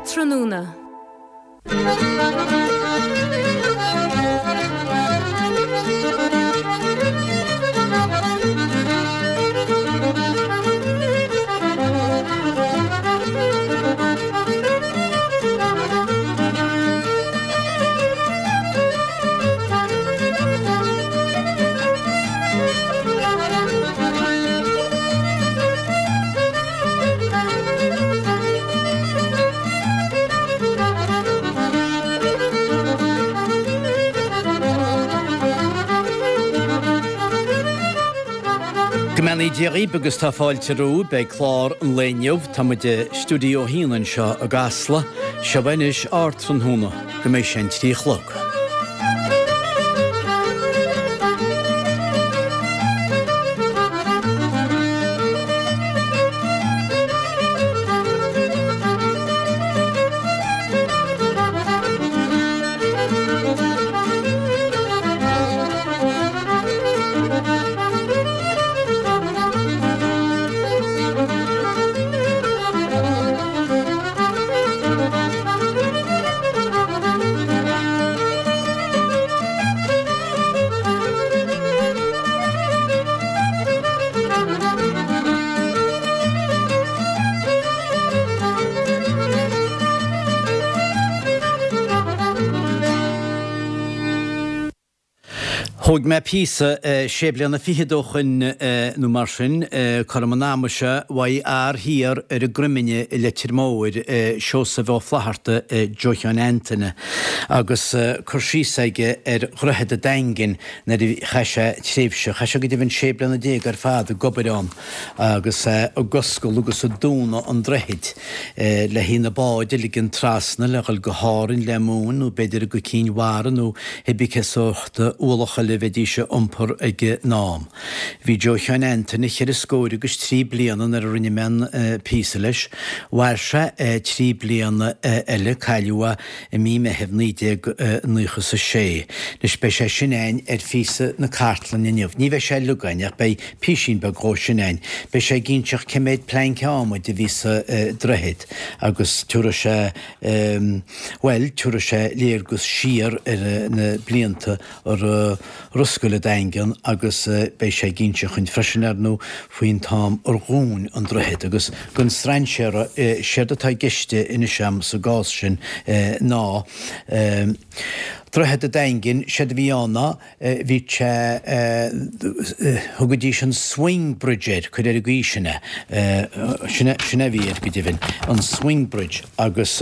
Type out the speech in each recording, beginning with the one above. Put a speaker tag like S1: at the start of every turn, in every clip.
S1: Tráthnóna.
S2: Go mbeannaí Dia dhaoib agus tá fáilte romhaibh. Beidh clár an lae inniu. Tá muid i Stiúideo 1 anseo i gCasla. Seo anois ár tráthnóna go mbeidh sé an 3 a chlog. Thóg mé píosa sé bliana fichead ó shoin nó mar sin, cothrom an ama seo, uaidh fhear thiar ar an gCroimine i Leitir Móir, Seosamh Ó Flaithearta, Joe Sheáin Antaine, agus cur síos aige ar Dhroichead an Daingin nuair a chaith sé tréimhse, chaith sé go deimhin sé bliana déag ar fad ag obair ann agus é ag oscailt agus ag dúnadh an droichid le haghaidh na báid a ligean trasna le dhul go hÁrainn le móin nó b'fhéidir go Cinn Mhara nó cibé cén sórt ualach eile a bheidís a iompar ag an am. Bhí Joe Sheáin Antaine cheithre scóir agus trí bliana nuair a rinne mé an píosa leis. Mhair sé trí bliana eile, cailleadh é i mí Meithimh 1996. Anois beidh sé sin a'inn ar phíosa na cartlainne inniu. Ní bheidh sé uilig a'inn ach beidh písín beag dhó sin a'inn. Beidh sé ag inseacht cé méad pleainc adhmaid a bhí sa droichead agus tabharfaidh sé, bhuel, tabharfaidh sé léargas siar ar na blianta a raibh oscailt an Daingean agus beidh sé ag inseacht dhuinn freisin, ar ndóigh, faoin t-am ar dhún an droichead. Agus don strainséara, séard atá i gceist anois a'm sa gcás sin ná Droichead an Daingin, séard a bhí ann ná bhí sé, thugaidís an swing bridge air, cuir ar an gcaoi sin é, sin é a bhí air go deimhin, an swing bridge agus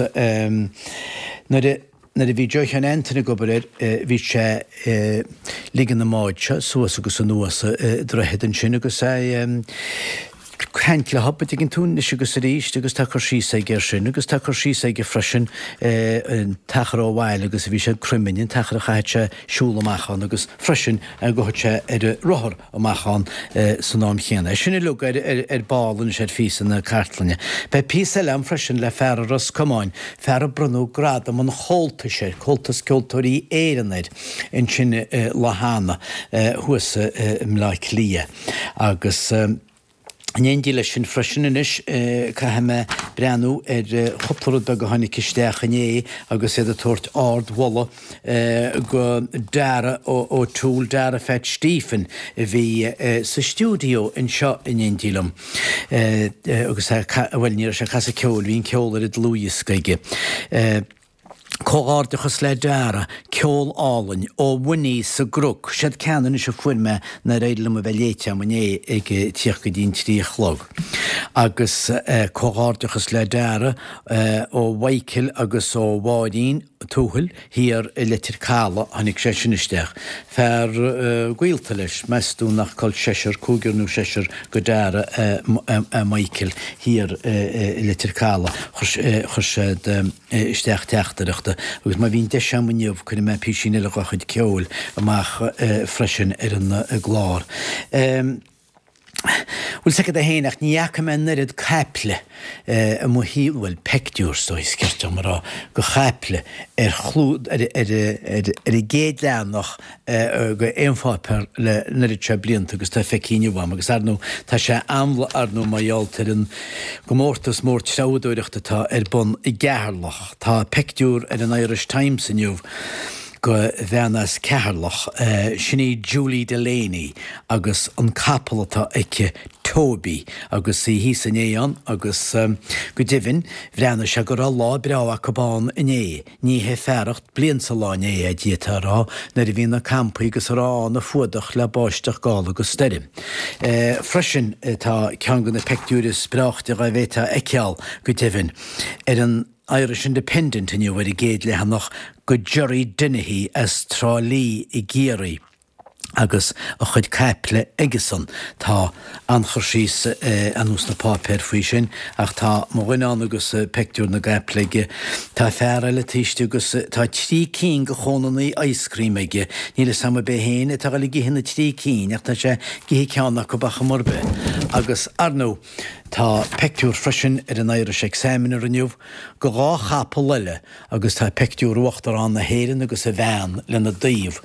S2: nuair a, Nuair a bhí Joe Sheáin Antaine ag obair air bhí sé ag ligean na mbád seo suas agus anuas an droichead ansin agus é ag caint leo, an dtuigeann tú, anois agus arís agus tá cur síos aige air sin agus tá cur síos aige freisin an t-achar ó bhaile agus a bhí sé ag Croiminn, an t-achar a chaithfeadh sé siúl amach ann agus freisin go gcuaigh sé ar a rothar amach ann san am chéanna. É sin uilig ar ball anois ar phíosa na cartlainne. Beidh píosa eile agam freisin le fear as Ros Comáin, fear a bronnadh Gradam an Chomhaltais air, Comhaltas Ceoltóirí Éireann air, ansin lá cheana thuas i mBleá Cliath. Agus. In éindí leis sin freisin anois, caithfidh mé breathnú ar chúpla rud beag a tháinig isteach inné agus iad ag tabhairt ard-mholadh go Dara O'Toole, Dara Pheait Stephen, a bhí sa stiúideo anseo in éindí liom agus é, bhuel, ní raibh sé ag casadh ceoil, bhí an ceol ar an dlúthdhiosca aige. Comhghairdeachas le Dara, ceol álainn, ó Winnie sa gCnoc, siad ceann anois a fuair mé nár éirigh liom a bheith léite agam inné ag tíocht go dtí an 3 a chlog. Agus comhghairdeachas le Dara ó Mhichael agus ó Mháirín Tuathail thiar i Leitir Caladh, tháinig sé sin isteach. Fear gaolta leis, meas tú nach col seisear, cúigear nó seisear go Dara é Michael thiar i Leitir Caladh, chuir siad. isteach teachtaireachta agus má bhíonn deis agam inniu cuirfidh mé písín eile dhá chuid ceoil amach freisin ar an gclár. Bhfuil 's agat é féin ach ní fhaca mé an oiread caiple i mo shaol, bhuel, peictiúr is dóigh is cirte dom a rá, go chaiple ar chlú, ar, ar, ar, ar an gcéad leathanach go aon pháipéar le an oiread seo blianta agus tá feicthe inniu agam agus ar ndóigh tá sé amhlaidh ar ndóigh mar gheall ar an gcomórtas mór treabhadóireachta atá ar bun i gCeatharlach. Tá peictiúr ar an Irish Times inniu go bhean as Ceatharlach, sin í Julie Delaney agus an capall atá aici, Toby, agus í thíos inné ann agus go deimhin bhreathnaigh sé go raibh lá breá acu ann inné, ní hé fearacht bliain sa lá inné é, d'fhéadfá a rá, nuair a bhí na campaí agus a raibh ann á fuadach le báisteach, gála agus stoirm. Freisin tá ceann de na peictiúir is breáichte dhá bhféadfá a fheiceáil, go deimhin, ar an. Irish Independent inniu ar an gcéad leathanach go Gerry Dennehy as Trá Lí i gCiarraí agus a chuid caiple aigesan. Tá an-chur síos anuas sna páipéir faoi sin ach tá mo dhuine ann agus peictiúr na gcaiple aige. Tá fear eile taobh istigh agus tá trí cinn de chónannaí ice cream aige. Níl fhios a'm ab é féin atá ag dul ag ithe na trí cinn ach tá sé ag ithe ceann acu ar chuma ar bith. Agus, ar ndóigh, Tá peictiúr freisin ar an Irish Examiner inniu go dha chapall eile agus tá peictiúr Uachtarán na hÉireann agus a bhean lena dtaobh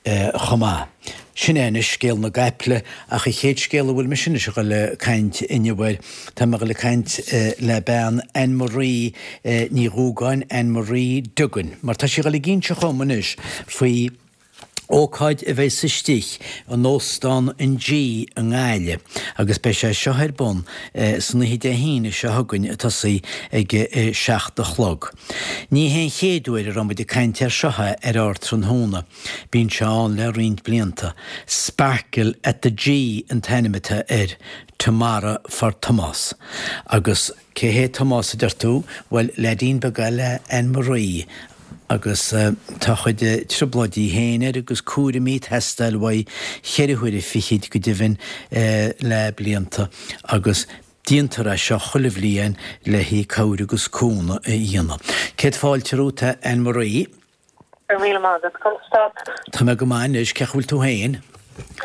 S2: chomh maith. Sin é anois scéal na gcaiple ach an chéad scéal a bhfuil mise anois a dhul ag caint inniu air, tá mé a dhul ag caint le bean Anne Marie Ní Dhúgáin, Anne Marie Duggan, mar tá sí a dhul ag inseacht dhom anois faoi Ócáid a bheidh istigh in Óstán an G i nGaillimh agus beidh sé seo ar bun san oíche Dé hAoine seo chugainn ag tosaí ag a 7 a chlog. Ní hé an chéad uair a raibh muid ag caint air seo ar ár dtráthnóna, bíonn sé ann le roinnt blianta. Sparkle at the G an t-ainm atá air, Tomorrow for Tomás. Agus cé hé Tomás a deir tú? Bhuel, leaidín beag é le Anne Marie agus tá a chuid trioblóidí féin air agus cúraimí ag teastáil uaidh cheithre huaire fichid go deimhin le blianta agus déantar é seo chuile bhliain le haghaidh cabhair agus cúnamh a dhéanamh. Céad fáilte romhat a Anne Marie.
S1: Go raibh míle maith agat. Conas tá tú?
S2: Tá mé go maith anois, cén chaoi a bhfuil tú féin?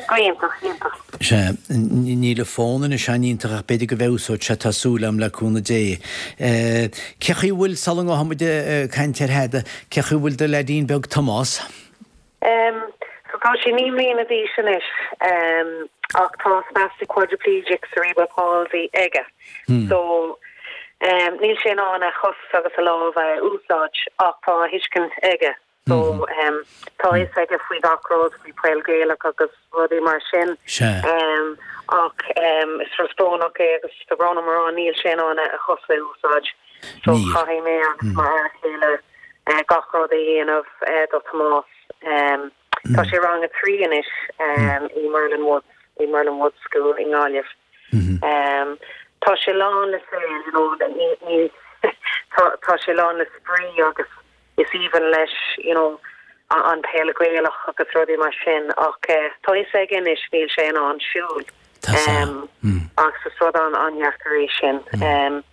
S1: Go hiontach, iontach.
S2: Sea, níl an fón anois an-iontach ach b'fhéidir go bhfeabhsóidh sé, tá súil agam le cúnamh Dé. Cén chaoi a bhfuil, sula ngabhfaidh muid ag caint ar thada, cén chaoi a bhfuil do leaidín beag Tomás?
S1: Em, so tá sé 9 mbliana d'aois anois, em, ach tá spastic quadriplegic cerebral palsy aige. So, em, níl sé in ann a chos agus a lámh a úsáid ach tá a thuiscint aige. So, em, tá a fhios aige faoi gach rud, faoi peil Gaelach agus rudaí mar sin.
S2: Sea.
S1: Em, ach, em, is rud brónach é agus tá brón orm a rá níl sé in ann a chosa a úsáid. So,
S2: Níl.
S1: caithfidh mé agus mo fhear céile eh, gach rud a dhéanamh eh, do Tomás. Em, tá sé rang a 3 anois, em, i Merlin Woods, i Merlin Woods School i nGaillimh. Tá sé lán le saol, you know, ní, ní, tá, tá sé lán le spraoi agus is aoibhinn leis, you know, an peil Gaelach agus rudaí mar sin ach tá a fhios aige anois níl sé in ann siúl. Agus is rud an-an-dheacair é sin.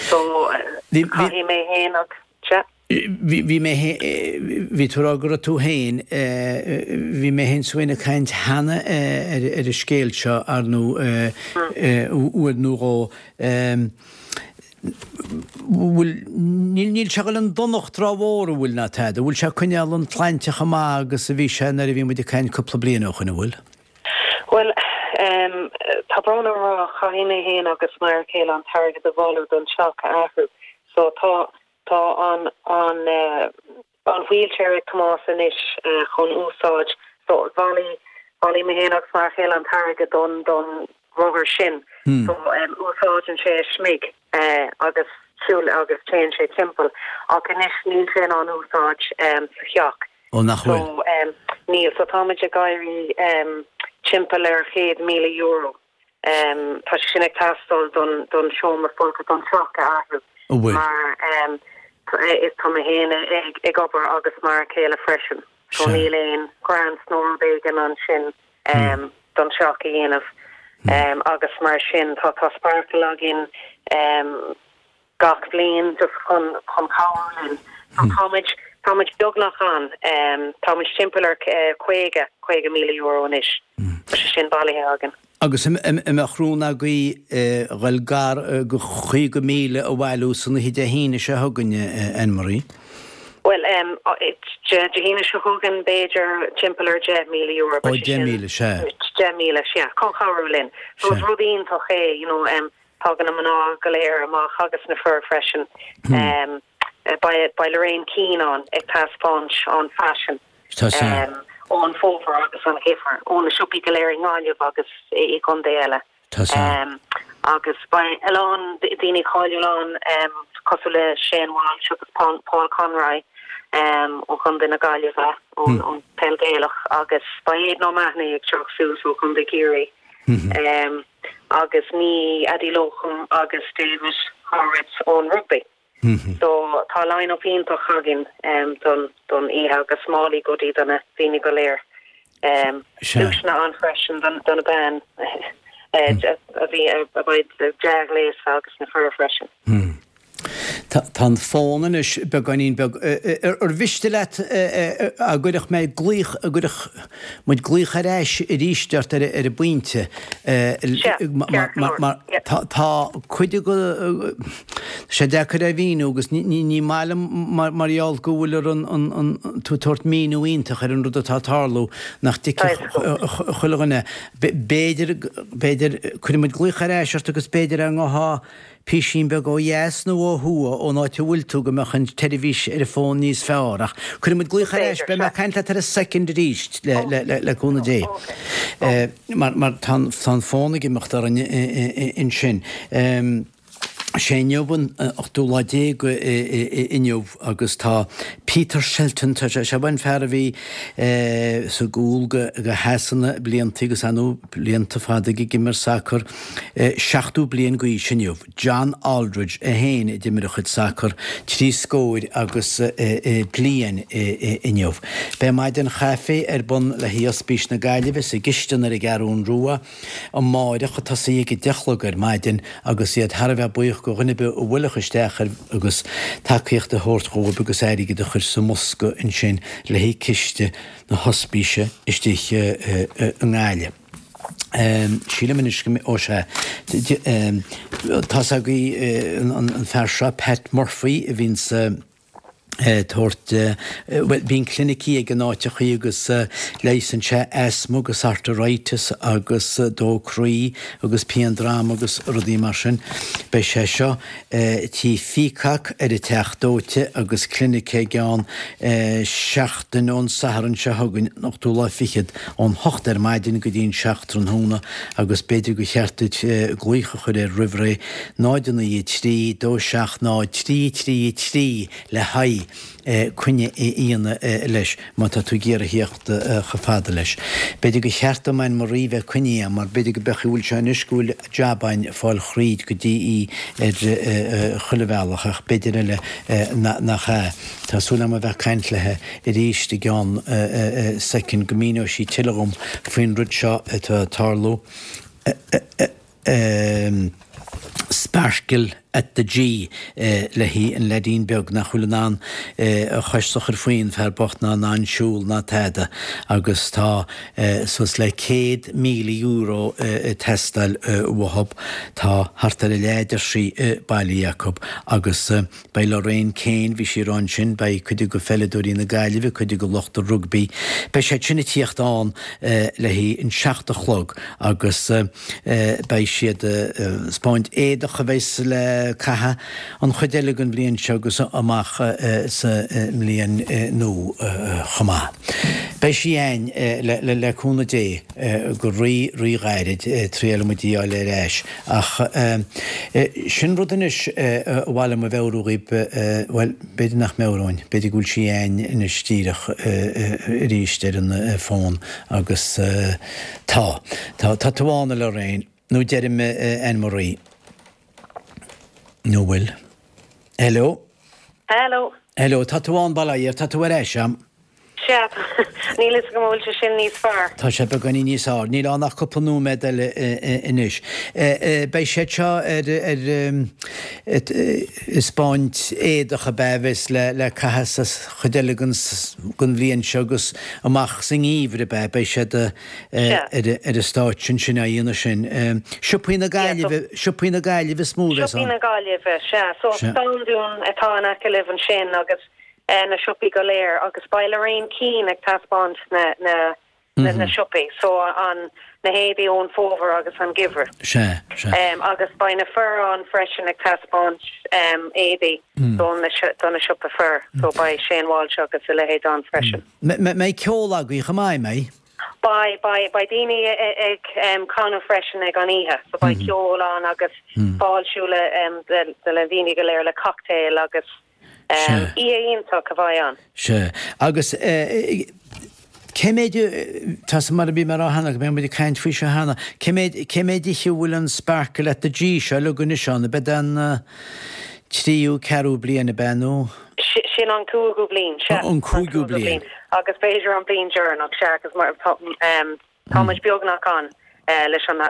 S1: So, caithfidh mé féin agus, sea.
S2: Bhí mé bhí tú ag rá go raibh tú féin, bhí mé féin is tú féin ag caint cheana ar an scéal seo, ar ndóigh, uair nó dhó. Bhfuil, níl, níl sé ag dul i ndonacht rómhór, an bhfuil ná tada, an bhfuil sé ag coinneáil an tsláinte chomh maith agus a bhí sé nuair a bhí muid ag caint cúpla bliain ó shoin, an bhfuil?
S1: Bhuel, tá brón orm a rá, caithfidh mé féin agus m'fhear céile an t-airgead a bhailiú don teach a athrú. So tá, Tá an an an wheelchair ag Tomás anois chun úsáid so bhailigh bhailigh mé féin agus m'fhear chéile an t-airgead don don rothar sin so úsáideann sé a smig agus siúl agus téann sé timpeall ach anois níl sé in ann úsáid sa theach.
S2: Ó nach
S1: bhfuil? So níl so táimid ag éirí timpeall ar €100,000. Tá sé sin ag teastáil don don seomra folctha, don teach a athrú mar is tá mé féin ag ag obair agus m'fhear céile freisin so níl aon grants nó rud éigin ansin don teach a dhéanamh agus mar sin tá tá sparkle againn gach bliain just chun chun cabhrú linn. So táimid táimid beagnach ann. Táimid timpeall ar 50, €50,000 anois. Tá sé sin bailithe againn.
S2: Agus an mbeadh rún agaibh dhul gar go 50,000 a bhailiú san oíche Dé hAoine seo chugainn, Ann Marie?
S1: Bhuel, Dé hAoine seo chugainn b'fhéidir timpeall ar €10,000.
S2: Ó, 10,000, sea.
S1: 10,000, sea. Chun cabhrú linn. So is rud iontach é, you know, tagann na mná go léir amach agus na fir freisin. Beidh Lorraine Keane ann ag taispeáint an faisean ón bhfómhar agus an gheimhreadh, ó na siopaí go léir i nGaillimh agus i gcontae eile. Agus beidh a lán daoine cáiliúil ann cosúil le Shane Walsh agus Paul Conroy ó chontae na Gaillimhe, ón peil Gaelach, agus beidh Aidan O'Mahony ag teacht suas ó chontae Chiarraí. Agus ní Adi Locum agus David Horowitz ón rugbaí. So tá line up iontach againn don don oíche agus málaí goodie do na daoine go léir. Duaiseanna ann freisin do na bean a bhí a bheidh dea-ghléasta agus na fir freisin.
S2: Tá an fón anois beagáinín beag. Ar mhiste leat a gcuirfeadh mé glaoch, a gcuirfeadh muid glaoch ar ais arís ort ar an bpointe?
S1: Sea, ceart go leor.
S2: Tá cuid de, tá sé deacair a mhíniú agus ní maith liom mar gheall go bhfuil ar an tú ag tabhairt míniú iontach ar an rud atá ag tarlú nach dtuigfeadh chuile dhuine. B'fhéidir, b'fhéidir, cuirfidh muid glaoch ar ais ort agus b'fhéidir ar ngabhfá písín beag ó dheas nó ó thuaidh ón áit a bhfuil tú go mbeadh an tseirbhís ar an bhfón níos fearr. Ach cuirfidh muid glaoch ar ais, beidh mé ag caint leat ar an soicind arís le le cúnamh Dé. Mar mar tá an fón ag imeacht orainn ansin. Sé inniu an ochtú lá déag inniu agus tá Peter Shelton, tá sé, seo an fear a bhí sa gcúl go Shasana blianta agus ar ndóigh blianta fada ag imirt sacar, 70 bliain d'aois inniu. John Aldridge é féin a d'imir a chuid sacar, trí scóir agus bliain inniu. Beidh maidin chaife ar bun le haghaidh Ospís na Gaillimhe sa gcistin ar an gCeathrún Rua amáireach ag tosaí ag 10 a chlog ar maidin agus iad thar a bheith buíoch go dhuine ar bith a bhuailfeadh isteach ar agus tacaíocht a thabhairt dhóibh agus airgead a chur sa mbosca ansin le haghaidh ciste na hOspíse istigh i nGaillimh. Sílim anois go mbeidh, ó sea, tá's agaibh an fear seo, Pat Murphy, a bhíonns ag tabhairt, bhuel, bíonn clinicí aige in áiteachaí agus leigheasann sé asthma agus arteritis agus dó croí agus pian droma agus rudaí mar sin. Beidh sé seo Tí Pheacock ar an Teach Dóite agus clinic aige ann seachtain ón Satharn seo chugainn, an ochtú lá fichead, ón hocht ar maidin go dtí an seacht tráthnóna agus b'fhéidir gur cheart duit glaoch a chur air roimh ré, 0 9 3 2 7 0 3 3 3 le haghaidh coinne a dhéanamh leis má tá tú ag iarraidh theacht chomh fada leis. B'fhéidir gur cheart dom Ann Marie bheith coinnithe agam mar b'fhéidir go mbeadh bhfuil sé anois go bhfuil jab againn fáil thríd go dtí í ar chuile bhealach ach b'fhéidir eile nach ea. Tá súil agam a bheith ag caint léi arís i gceann soicind go míneoidh sí tuilleadh dhom faoin rud seo atá ag tarlú. Sparkle at the G le haghaidh an leaidín beag nach bhfuil in ann a chois a chur faoi, an fear bocht ná in ann siúl ná tada agus tá suas le €100,000 ag teastáil uathub. Tá thart ar a leath deir sí bailithe acu agus Beidh Lorraine Kane, bhí sí ag rá ansin, beidh cuid de pheileadóirí na Gaillimhe, cuid de lucht an rugbaí, beidh siad sin ag tíocht ann le haghaidh an seacht a chlog agus beidh siad ag 'spáint éadach a bheas le caitheamh an chuid eile den bhliain seo agus amach sa mbliain nua chomh maith. Beidh sí a'ainn le cúnamh Dé go rí rí-ghairid, triailfidh muid í a fháil ar ais. Ach sin rud anois a ba mhaith liom a mheabhrú dhaoib, bhuel, b'fhéidir nach meabhróinn, b'fhéidir go bhfuil sí a'ainn anois díreach arís ar an bhfón agus tá, tá, tá tú ann a Lorraine, nó deirim Ann Marie, nó bhfuil? Hello?
S1: Hello.
S2: Hello, tá tú ann, bail ó Dhia ort, tá tú ar ais a'm.
S1: Sea, níl fhios agam an bhfuil sé sin níos fearr.
S2: Tá sé beagáinín níos fearr. Níl ann ach cúpla nóiméad eile anois. Beidh siad seo ar taispeáint éadach ab ea a bheas le caitheamh sa chuid eile den bhliain seo agus amach sa ngeimhreadh ab ea? Beidh siad ar an stáitse ansin á dhéanamh sin. Siopaí na Gaillimhe, Siopaí na Gaillimhe is mó a bheas
S1: ann. Siopaí na Gaillimhe, sea. So Standún atá in aice libh ansin agus na siopaí go léir agus beidh Lorraine Keane ag taispeáint na na na siopaí so an na héadaí ón fómhar agus an geimhreadh.
S2: Sea, sea.
S1: Agus beidh na fir ann freisin ag taispeáint éadaí don na do na siopa fir so beidh Shane Walsh agus a leithéid ann freisin.
S2: Mbeidh ceol agaibh chomh maith, mbeidh?
S1: Beidh, beidh, beidh daoine ag canadh freisin ag an oíche so beidh ceol ann agus fáiltiú le le na daoine go léir le cocktail agus
S2: Sea.
S1: Oíche iontach a bheidh ann.
S2: Sea. Agus cé méid, tá 's mar a bhí mé a rá cheana, go mbeidh muid ag caint faoi seo cheana, cé méid, cé méid oíche a bhfuil an Sparkle at the G seo uilig anois ann, ab ea an tríú, ceathrú bliain ab ea nó?
S1: Sin an cúigiú bliain, sea.
S2: An cúigiú bliain.
S1: Agus b'fhéidir an bliain deireanach, sea, agus mar, tá, Tá muid beagnach ann leis an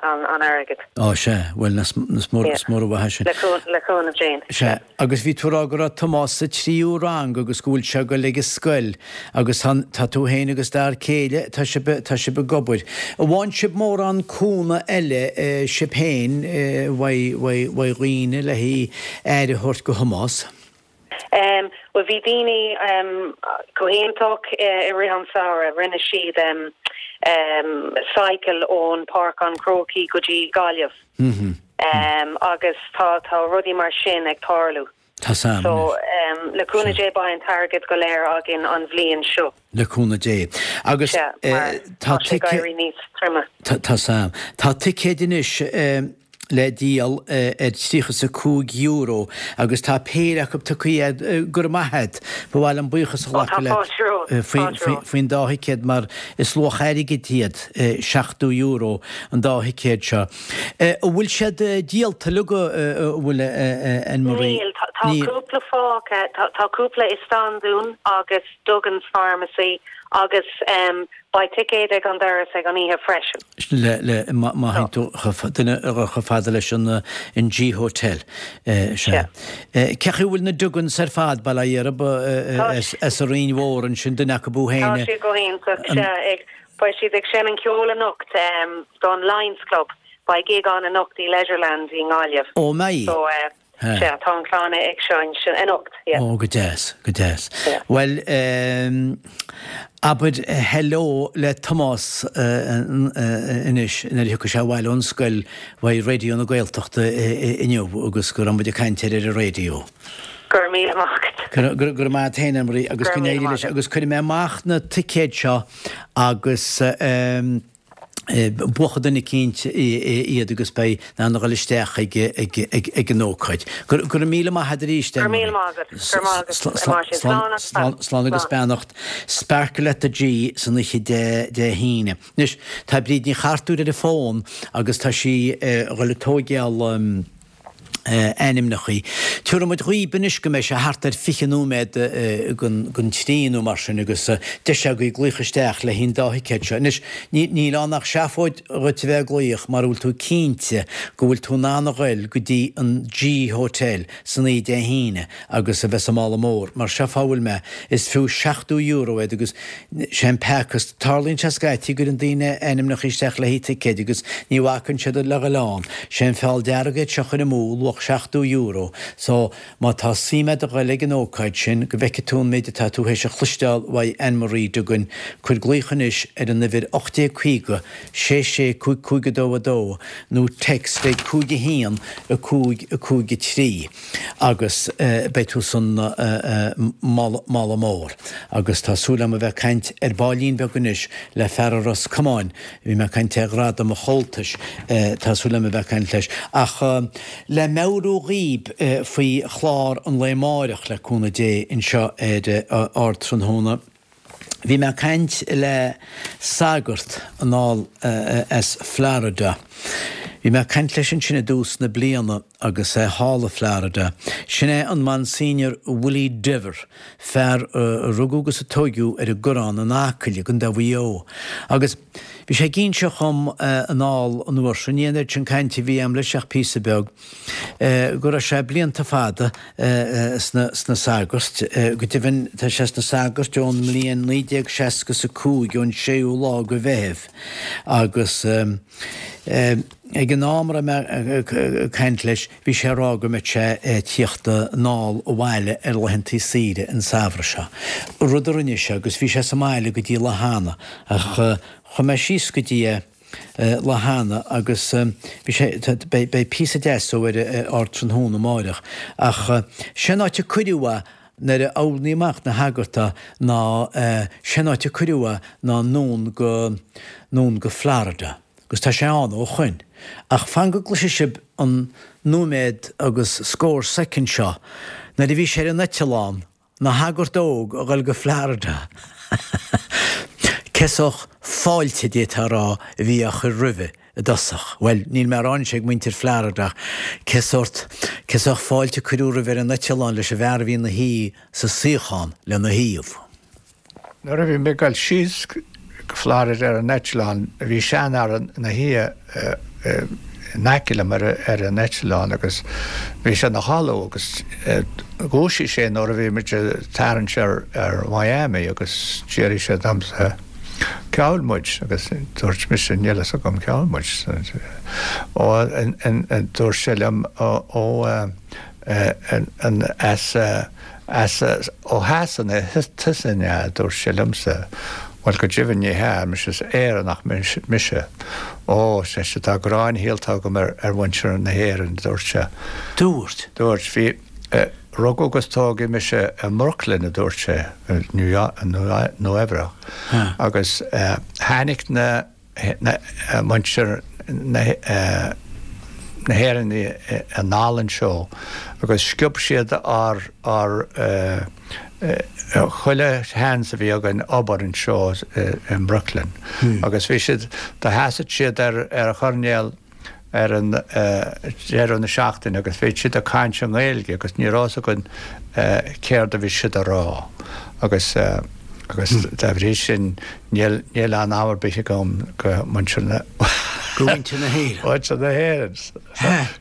S1: airgead.
S2: Á, sea. Bhuel, is mór an mhaith é sin.
S1: Le cúnamh Dé.
S2: Sea. Agus bhí tú ag rá go raibh Tomás sa tríú rang agus go bhfuil sé ag dul ag an scoil agus tá tú féin agus d'fhear céile, tá sibh, tá sibh ag obair. An bhfaigheann sibh mórán cúnamh eile sibh féin uaidh, uaidh, uaidh dhaoine le haghaidh aire a thabhairt do Thomás?
S1: Bhuel, bhí daoine go hiontach i rith an samhradh. Rinne siad cycle ón Páirc an Chrócaigh go dtí Gaillimh agus tá tá rudaí mar sin ag tarlú.
S2: Tá
S1: So le cúnamh Dé beidh an t-airgead go léir againn an bhliain seo.
S2: Le cúnamh Dé. Agus
S1: tá tá sé ag éirí níos
S2: troime. Tá Sam. Tá ticéid anois le díol ar €35 agus tá péire acu tugtha agat. Go raibh maith agat. Ba mhaith liom buíochas a ghlacadh leat faoin dá thicéad mar is luach airgid iad, €70 an dá thicéad seo. An bhfuil siad díolta uilig, an bhfuil a Anne Marie?
S1: Níl. Tá cúpla fágtha. Tá cúpla i Standún agus Duggan's Pharmacy agus beidh ticéid ag an doras ag an oíche freisin.
S2: Le, le, má théann tú duine a dhul chomh fada leis an an G Hotel. Sea. Cé chaoi a bhfuil na Duggans ar fad, bail ó Dhia orthu, as an Rinn Mhór ansin, duine acu
S1: féin. Tá siad go hiontach, sea. Ag, beidh siad ag seinm ceoil anocht don Lions Club. Beidh gig ann anocht i Leisureland i nGaillimh.
S2: Ó, mbeidh?
S1: So, Sea, tá an chlann ag seinnt anocht,
S2: yeah. Ó, go deas, go deas. Yeah. Bhuel, abair hello le Tomás anois nuair a thiocfaidh sé abhaile ón scoil uaidh Raidió na Gaeltachta inniu agus go raibh muid ag caint air ar an raidió.
S1: Go raibh míle maith agat.
S2: Go raibh maith agat féin, Anne-Marie, agus go n-éirí leis. Agus cuirfidh mé amach na ticéid seo agus. Buafaidh duine eicínt iad agus beidh in ann a dhul isteach ag an ócáid. Go raibh míle maith agat arís,
S1: Go raibh míle maith agat. Go raibh maith agat, a Mháirtín. Slán agus
S2: beannacht. Slán agus beannacht. Sparkle at the G san oíche Dé hAoine. Anois, tá Bríd Ní Chartúir ar an bhfón agus tá sí a dhul ag tóigeáil ainmneachaí. Tabharfaidh muid dhaoib anois go mbeidh sé thart ar 20 nóiméad don trí nó mar sin agus deis agaibh glaoch isteach le haghaidh an dá thicéad seo. Anois, níl ann ach seafóid dhuit a bheith ag glaoch mara bhfuil tú cinnte go bhfuil tú in ann a ghoil go dtí an G Hotel san oíche Dé hAoine agus a bheith sa mála mór. Mar seo fáth a bhfuil mé, is fiú €70 iad agus sé an peaca, tarlaíonn sé scaití go gcuireann daoine ainmneacha isteach le haghaidh ticéid agus ní bhacann siad le dhul ann. Sé an feall dearg iad seo a chur amú, luach €70. So, má tá suim agat a ghoil ag an ócáid sin, go bhfeicfidh tú an méid atá tú théis a chloisteáil uaidh Anne Marie Duggan, cuir glaoch anois ar an uimhir 1850 66 55 2 2 nó text ag 5 1 5 5 3. agus beidh tú san mála mór. Agus tá súil agam a bheith ag caint ar baillín beag anois le fear ó Ros Comáin, bhí mé ag caint ar Ghradam an Chomhaltais, tá súil agam a bheith ag caint leis. Ach le meabhrú dhaoib faoi chlár an lae amáireach, le cúnamh Dé, anseo ar Ardtráthnóna, Bhí mé ag caint le sagart anall as Florida. Bhí mé ag caint leis ansin i dtús na bliana agus é thall i Florida. Sin é an Monsignor Willie Dever, fear a rugadh agus a tóigeadh ar an gCoireán in Acaill i gContae Mhaigh Eo. Agus bhí sé ag inseacht dhom anall an uair sin, ní an oiread sin cainte a bhí a'm leis ach píosa beag, go raibh sé blianta fada sna sagairt. Go deimhin tá sé sna sagairt ón mbliain 1965, ón séú lá de Mheitheamh. Agus ag an am a raibh mé ag caint leis, bhí sé ag rá go mbeadh sé ag tíocht anall abhaile ar laethantaí saoire an samhradh seo. Rud a rinne sé agus bhí sé sa mbaile go dtí lá cheana ach chuaigh mé síos go dtí é lá cheana agus bhí sé, beidh píosa deas ó ar Ardtráthnóna amáireach ach sé an áit a cuireadh é nuair a oirníodh amach na shagart é ná sé an áit a cuireadh é ná anonn go, anonn go Florida agus tá sé ann ó shoin. Ach fan go gcloisfidh sibh an nóiméad agus scór soicind seo nuair a bhí sé ar an eitleán 'na shagart óg a dhul go Florida. Cé sórt fáilte, d'fhéadfá a rá, a bhí á chur roimhe i dtosach? Bhuel, níl mé a rá anois ag muintir Florida ach cé sórt, cé sórt fáilte a cuireadh roimhe ar an eitleán leis an bhfear a bhí ina shuí sa suíochán lena thaobh?
S3: Nuair a bhí mé ag dul síos go Florida ar an eitleán, bhí seanfhear ina shuí in aice liom ar an eitleán agus bhí sé ina chodladh agus dhúisigh sé nuair a bhí muid ag tarraingt ar Miami agus d'fhiafraigh sé domsa cá bhfuil muid agus dúirt mise níl fhios agam cá bhfuil muid. Ó, dúirt sé liom ó as As ó Shasana tusa an ea? a dúirt sé liomsa. Bhuel, go deimhin ní hea, ar mise, is Éireannach mise. Ó, ar seisean, tá gráin shaolta agam ar mhuintir na hÉireann, a dúirt sé.
S2: Dúirt.
S3: Dúirt. Bhí, rugadh agus tógadh mise i mBrooklyn, a dúirt sé, Nua Eabhrac, agus tháinig na. muintir na hÉireann anall anseo agus sciob siad ár ár chuile sheans a bhí againn obair anseo i mBrooklyn agus bhí siad do sheasadh siad ar ar choirnéal ar an deireadh na seachtaine agus bhí siad ag caint i nGaeilge agus ní raibh fhios againn céard a bhí siad a rá agus agus dá bhrí sin níl níl anam ar bith agam go muintir na
S2: Go mhuintir na hÉireann.
S3: Muintir na hÉireann.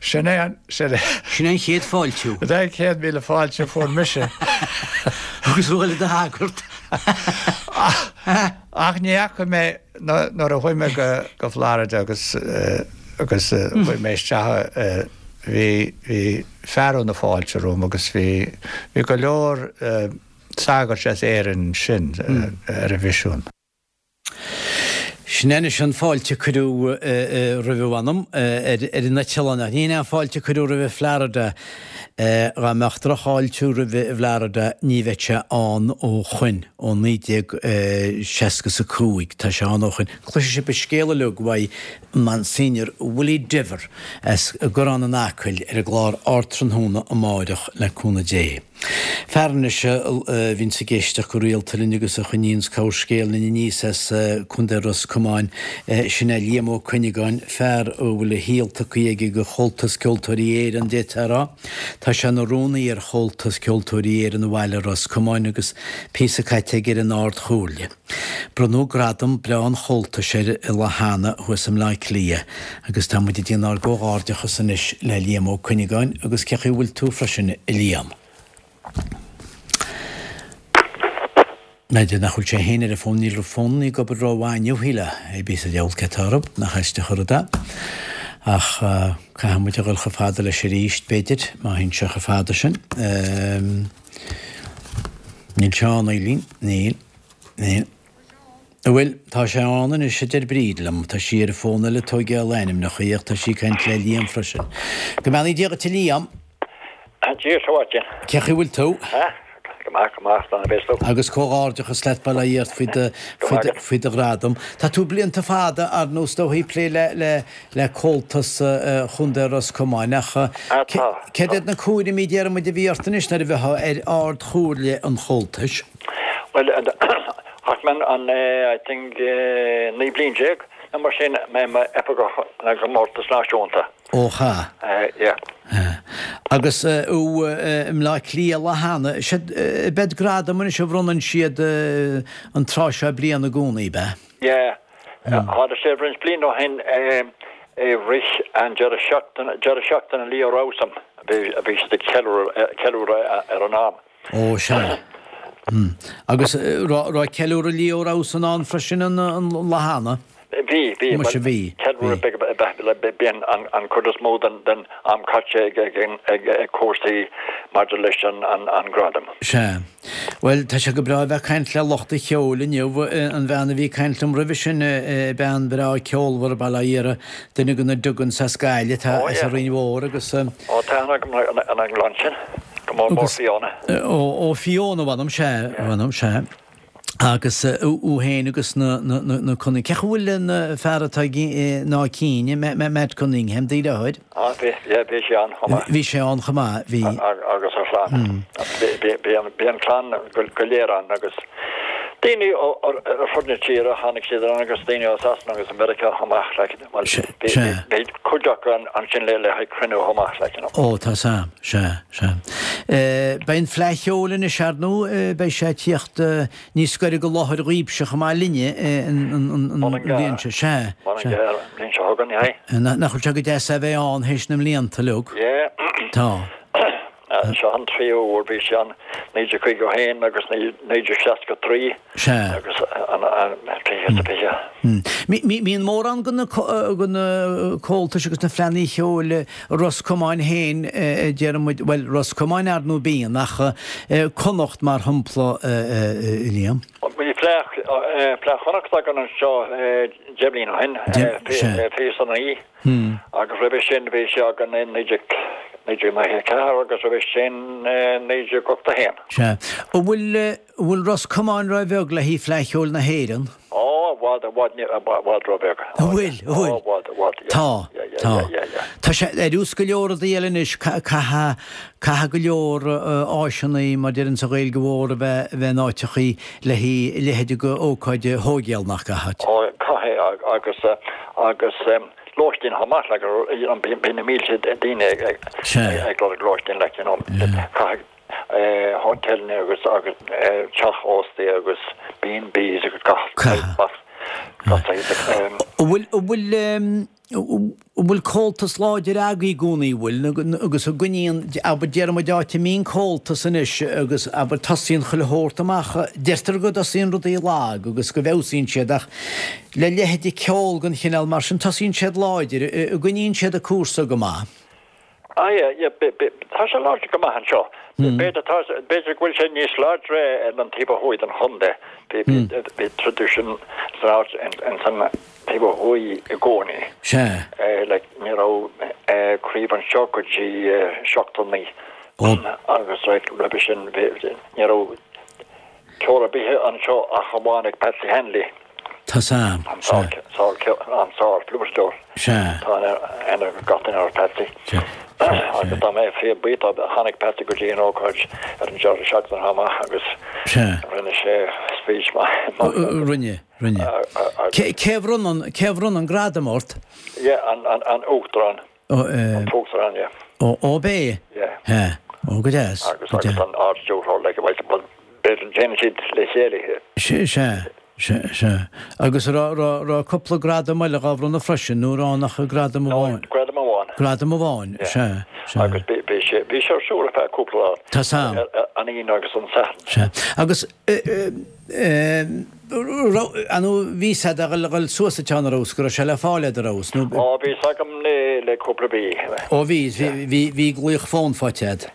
S3: Sin é an
S2: sin é Sin é an chéad fáiltiú.
S3: Sin é an chéad mhíle fáilte a fuair mise.
S2: Agus tú ag dul i do shagart.
S3: Ach ní fhaca mé nuair a chuaigh mé go go Florida agus agus chuaigh mé isteach bhí bhí fearadh na fáilte romham agus bhí bhí go leor sagairt as Éirinn ansin ar an mhisiún.
S2: Sin anois an fáilte a cuireadh roimhe mh'anam ar an eitleán, ach ní hin é an fáilte a cuireadh roimhe i Florida. Dá mbeadh drochfháiltiú roimhe i bhFlorida ní bheadh sé ann ó shoin, ó 1965. Tá sé ann ó shoin. Cloisfidh sibh an scéal uilig uaidh Monsignor Willie Dever as an gCoireán in Acaill ar an gclár Ardtráthnóna amáireach le cúnamh Dé. Fear anois a bhíonns ag éisteacht go rialta linn agus a choinníonns corrscéal linn aníos as Contae Ros Comáin, sin é Liam Ó Cuinneagáin, fear a bhfuil a shaol tugtha aige do Chomhaltas Ceoltóirí Éireann, d'fhéadfá a rá. Tá sé ina rúnaí ar Chomhaltas Ceoltóirí Éireann i bhaile Ros Comáin agus píosa caite aige ar an Ard-Chomhairle. Bronnadh gradam breá an Chomhaltais air an lá cheana thuas i mBleá Cliath agus tá muid ag déanamh ár gcomhghairdeachas anois le Liam Ó Cuinneagáin agus cé chaoi a bhfuil tú freisin a Liam? B'fhéidir nach bhfuil sé féin ar an bhfón, níl an fón ag obair rómhaith inniu, shílfeá, pé ar bith sa diabhal cé atá orthu, nach aisteach an rud é. Ach caithfidh muid a dhul chomh fada leis arís, b'fhéidir, má théann sé chomh fada sin. Níl sé ann, Eileen, níl. Níl. Bhuel, tá sé ann anois, a deir Bríd liom. Tá sí ar an bhfón eile ag tóigeáil ainmneacha, ach tá sí ag caint le Liam freisin. Go mbeannaí Dia dhuit, a Liam.
S4: Dia duit, a Mháirtín.
S2: Cé chaoi bhfuil tú?
S4: Go maith, go maith, slán a bheas tú.
S2: Agus comhghairdeachas leat, bail ó Dhia ort faoi do, faoi do, faoi do ghradam. Tá tú blianta fada, ar ndóigh, is dóigh, ag plé le, le, le Comhaltas Chontae Ros Comáin ach céard iad na cúraimí, déarfaidh muid, a bhí ort anois nuair a bheifeá ar Ard-Chomhairle an Chomhaltais?
S4: Bhuel, chaith mé an, I think, 19 bliain. nó mar sin mé i m'oifigeach na gcomórtas náisiúnta.
S2: Ó cha.
S4: Yeah.
S2: Agus ó i mBleá Cliath lá cheana, siad beid gradam anois a bhronnann siad an tráth seo bliana i gcónaí, ab ea?
S4: Yeah. Tharla sé roinnt bliain ó shin i rith an deireadh seachtaine, deireadh seachtaine Leo Rowsome a bhí siad ag ceiliúradh ar an am.
S2: Ó, sea. Agus raibh ceiliúradh Leo Rowsome ann freisin an lá cheana?
S4: Bhí, bhí.
S2: Muise, bhí.
S4: Ceiliúradh beag ab ea, bíonn an chuid is mó den am caite ag cúrsaí maidir leis an gradam.
S2: Sea. Bhuel, tá sé go breá a bheith ag caint le lucht an cheoil inniu. An bhean a bhí ag caint liom roimhe sin, bean bhreá ceolmhar, bail ó Dhia uirthi, duine de na Duggans as Gaillimh, atá as an Rinn Mhór agus.
S4: Ó, tá aithne agam ar an gclann sin, go mór mór Fiona.
S2: Ó, Fiona, mh'anam, sea, mh'anam, sea. Agus í féin agus na Cunning, cén chaoi a bhfuil an fear atá ag in Áth Cinn, Matt Cunningham, do dheartháir?
S4: Ah, bhí, yeah, bhí sé ann chomh maith.
S2: Bhí sé ann chomh maith, bhí.
S4: Agus a chlann. Bhí an clann go léir ann agus daoine ar fud na tíre, tháinig siad ann agus daoine ó Sasana agus Meiriceá chomh maith, like, bhuel, bhí cuid acu ansin le haghaidh cruinniú chomh maith, like, you know.
S2: Ó, tá 's a'm, sea, sea. Beidh an Fleadh Cheoil anois, ar ndóigh, beidh sé ag tíocht níos gaire go láthair dhaoibhse chomh maith linne an bhliain seo, sea,
S4: sea. An bhliain seo chugainn, aye.
S2: Nach bhfuil sé go deas é a bheith ann théis na mblianta uilig?
S4: Yeah.
S2: Tá.
S4: Seo an tríú huair, bhí sé ann 1951 agus 1963
S2: Sea.
S4: agus an 2020.
S2: Mbíonn mórán de na comhaltais agus na fleannaí cheoil i Ros Comáin féin, déarfaidh muid, bhuel, Ros Comáin ar ndóigh bíonn, ach Connacht mar shampla, Liam.
S4: Bhí Fleadh Chonnacht againn anseo 10 mbliana ó shin, 29, agus roimhe sin bhí sé againn i 1994 agus roimhe sin 1981.
S2: Sea. An bhfuil An bhfuil Ros Comáin ró-bheag le haghaidh Fleadh Cheoil na hÉireann?
S4: Ó, i bhfad, i bhfad, i bhfad ró-bheag.
S2: An bhfuil, an bhfuil?
S4: Ó, i bhfad, i bhfad, yeah.
S2: Tá,
S4: yeah, yeah,
S2: tá.
S4: yeah, yeah, yeah.
S2: Tá sé ar fheabhas go leor rudaí eile anois, caithfidh, caithfidh go leor áiseanna, mar deireann sa Ghaeilge Mhór, a bheith, a bheith in áiteachaí le haghaidh a leithéid de ócáid a thóigeáil, nach gcaithfidh?
S4: Ó, caithfidh, agus, agus lóistín chomh maith, like, you know, bíonn na mílte daoine ag, ag, ag lorg lóistín, like, you know, caithfidh, hotelanna agus agus teach óstaí agus B&Bs agus gach gach
S2: saghas. An bhfuil an bhfuil an bhfuil comhaltas láidir agaibh i gcónaí, an bhfuil, agus an gcoinníonn, abair déarfaidh muid áit a mbíonn comhaltas anois agus abair tosaíonn chuile shórt amach, deirtear go dtosaíonn rudaí lag agus go bhfeabhsaíonn siad ach le leithéid de ceol den chineál mar sin tosaíonn siad láidir, an gcoinníonn siad an cúrsa go maith.
S4: Ah yeah, yeah, tá sé láidir go maith anseo. B'fhéidir, tá, b'fhéidir go bhfuil sé níos láidre ar an taobh ó thuaidh den chontae. Bhí, bhí traidisiún san áit, in san taobh ó thuaidh i gcónaí.
S2: Sea.
S4: Like, ní raibh craobh anseo go dtí 79. Agus like, roimhe sin, bhí, ní raibh Ceol ar bith anseo ach amháin ag Patsy Hanley.
S2: Tá 's a'm.
S4: An sár-fhliúiteoir.
S2: Sea.
S4: Tá aithne ag gach duine ar Patsy.
S2: Sea.
S4: Agus tá mé fíor buíoch dó. Tháinig Patsy go dtí an ócáid ar an deireadh seachtaine chomh maith agus
S2: Sea.
S4: rinne sé speech maith.
S2: Rinne, rinne. Cé a bhronn an, cé a bhronn an gradam ort?
S4: Yeah, an Uachtarán. An tUachtarán, yeah.
S2: Ó, ó b'é?
S4: Yeah.
S2: Yeah. Ó, go deas.
S4: Agus, agus an Ard-Stiúrthóir, like, well, b'fhéidir déanann siad le chéile
S2: é. Sea, sea, sea, sea. Agus raibh, raibh, raibh cúpla gradam eile dhá bhronnadh freisin, nó raibh ach gradam
S4: amháin? No, gradam amháin.
S2: Gradam amháin,
S4: Yeah.
S2: sea, sea.
S4: Agus bhí, bhí sé, bhí sé ar siúl ar feadh cúpla lá.
S2: Tá 's a'm.
S4: An Aoine agus an Satharn.
S2: Sea. Agus, eh, eh, An bhí 's a'd a dhul suas an ceann ar fheabhas, go raibh sé le fáil a'd ar fheabhas, nó.
S4: Ó, bhí 's agam le cúpla mí.
S2: Ó bhí, bhí, bhí glaoch fón faighte a'd.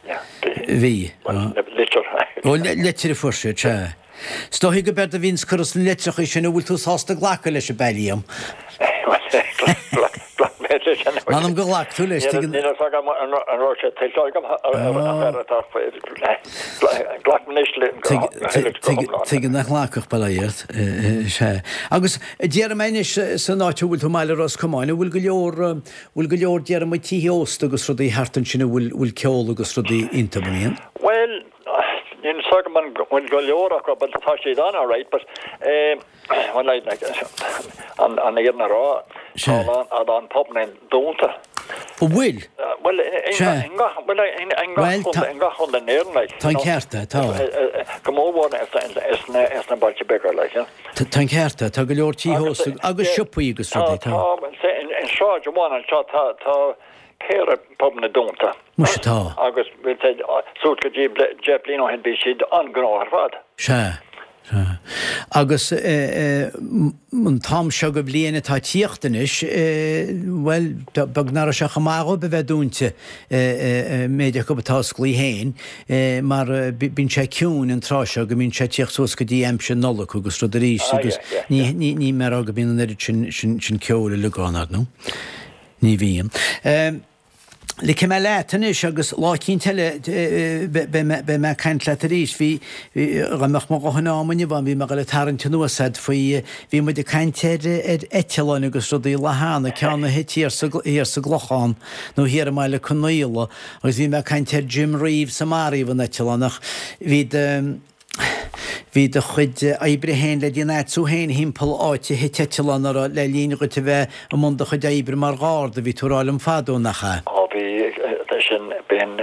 S2: Bhí.
S4: Litir.
S2: Ó, litir a fuair siad, sea. Is dóichí go b'éard a bhíonns curtha sna litreacha sin, an bhfuil tú sásta glacadh leis, ab ea, Liam?
S4: Ghlac mé leis an.
S2: M'anam go ghlac tú leis, tuigeann.
S4: Níl a fhios agam an raibh sé tuillte agam ach atá Glac mé anois le go hiomlán.
S2: Tuigeann nach nglacfadh, bail ó Dhia ort. Sea. Agus déarfaidh mé anois san áit a bhfuil tú i mbaile Ros Comáin, an bhfuil go leor, bhfuil go leor déarfaidh muid tithe ósta agus rudaí thart ansin a bhfuil, bhfuil ceol agus rudaí iontu, an mbíonn?
S4: Bhuel, níl a fhios agam an. Bhuel go leor acu but tá siad ann alright but eh well like like an an fhírinne a rá tá a lán a lán pubanna dúnta.
S2: An bhfuil?
S4: Bhuel i ngach bhuel i ngach chontae i ngach chontae in Éirinn like.
S2: Tá an ceart agat, tá.
S4: Go mór mhór sna sna bailte beaga like you know.
S2: Tá an ceart agat, tá go leor tithe ósta agus siopaí agus rudaí,
S4: tá. Tá in sráid amháin anseo tá tá péire pubanna dúnta.
S2: Muise tá.
S4: Agus suas go dtí 10 bliain ó shin bhí siad an-ghnóthach ar fad.
S2: Sea. Sea. Agus an t-am seo de bhliain atá ag tíocht anois, bhuel, beag nach raibh sé chomh maith dhóibh a bheith dúinte, an méid acu atá osclaí féin, mar bíonn sé ciúin an tráth seo go mbíonn sé ag tíocht suas go dtí aimsir Nollag agus rud arís agus ní, ní, ní mé a rá go mbíonn an oiread sin, sin, sin ceoil uilig ann, ar ndóigh. Ní bhíonn. Ligfidh mé leat anois agus lá eicínt eile beidh mé ag caint leat arís. Bhí, dá mbeadh mo dhóthain ama inniu agam, bhí mé ag dul ag tarraingt anuas a'd faoi, bhí muid ag caint ar ar eitleáin agus rudaí lá cheana, ceann a thit thiar sa, thiar sa gClochán nó thiar i mBaile Conaola agus bhí mé ag caint ar Jim Reeves a maraíodh in eitleán ach bhí do, Bhí do chuid oibre féin le déanamh a'dsa féin thimpeall áit a thit eitleán a raibh le linn dhuit a bheith i mbun do chuid oibre mar gharda, bhí tú ag rá liom fadó, nach ea?
S4: Ó bhí, sin, b'in.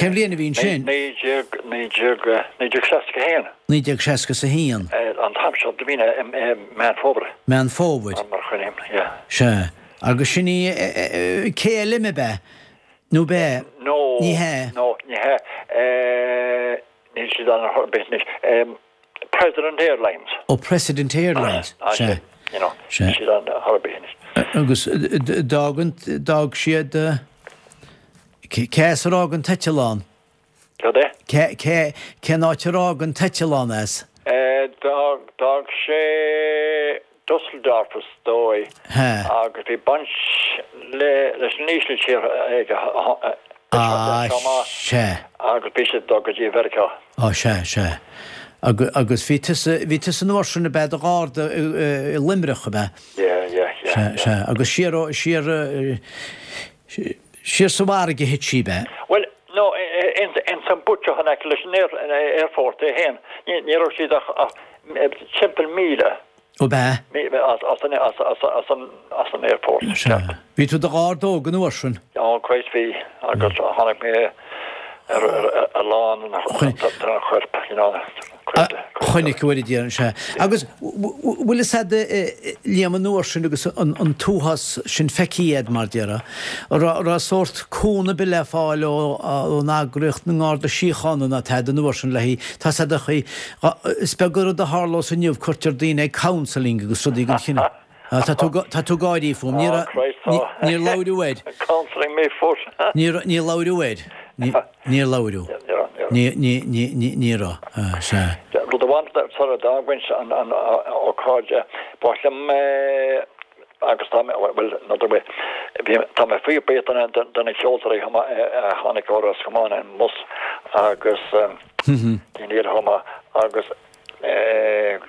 S2: Cén bhliain a bhí ansin?
S4: 1961.
S2: 1961.
S4: An t-am seo de bhliain i Meán Fómhair.
S2: Meán Fómhair.
S4: Mar chuimhním, yeah.
S2: Sea. Agus sin í, KLM ab ea? Nó ab ea?
S4: No.
S2: Ní hea.
S4: No, ní hea. Níl siad ann ar chor ar bith anois. President Airlines.
S2: Ó President Airlines, sea.
S4: You know, níl siad ann ar chor ar bith anois.
S2: Agus d'fhág an, d'fhág siad, cé as ar fhág an t-eitleán?
S4: Cad é?
S2: Cé, cé, cén áit ar fhág an t-eitleán as?
S4: D'fhág, d'fhág sé Dusseldorf is dóigh agus bhí baint le leis an Ísiltír aige
S2: Ah, sea.
S4: agus bhí sé ag dul go dtí Mheiriceá.
S2: Á, sea, sea. Agus bhí tusa, bhí tusa an uair sin ab ea i do gharda i Luimneach, ab
S4: ea? Yeah, yeah, yeah.
S2: Sea, sea. Agus siar ó, siar, siar sa bhfarraige a thit sí, ab ea?
S4: Bhuel, no, ins an bpuiteach in aice leis an aerfort é féin. Ní raibh siad ach timpeall
S2: míle. Ó b'ea?
S4: As an aerfort.
S2: Sea. Bhí tú i do gharda óg an uair sin?
S4: Ó, Christ bhí, agus chonaic mé a lán den choirp, you know.
S2: Chonaic uair a déarfainn, sea. Agus bhfuil fhios a'd, Liam, an uair sin agus an t-uafás sin feicthe a'd, mar déarfá, an raibh sórt cúnamh ar bith le fáil ón eagraíocht na nGarda Síochána ná tada an uair sin le haghaidh, tá's a'd a chaoi, Is beag an rud a tharlós inniu, cuirtear daoine ag counselling agus rudaí den chineál. Tá tú tá tú ag gáirí fúm. Níor níor labhradh air.
S4: Counselling me foot.
S2: Níor níor labhradh air. Níor labhradh. Ní ní ní ní ní raibh. Sea.
S4: Rud amháin sara dfhágfainn an an ócáid, ba mhaith liom agus tá mé, bhuel, n'fheadar bhfuil, bhí, tá mé fíorbhuíoch de de na ceoltóirí a tháinig ó Ros Comáin, an Mus agus daoine eile chomh maith agus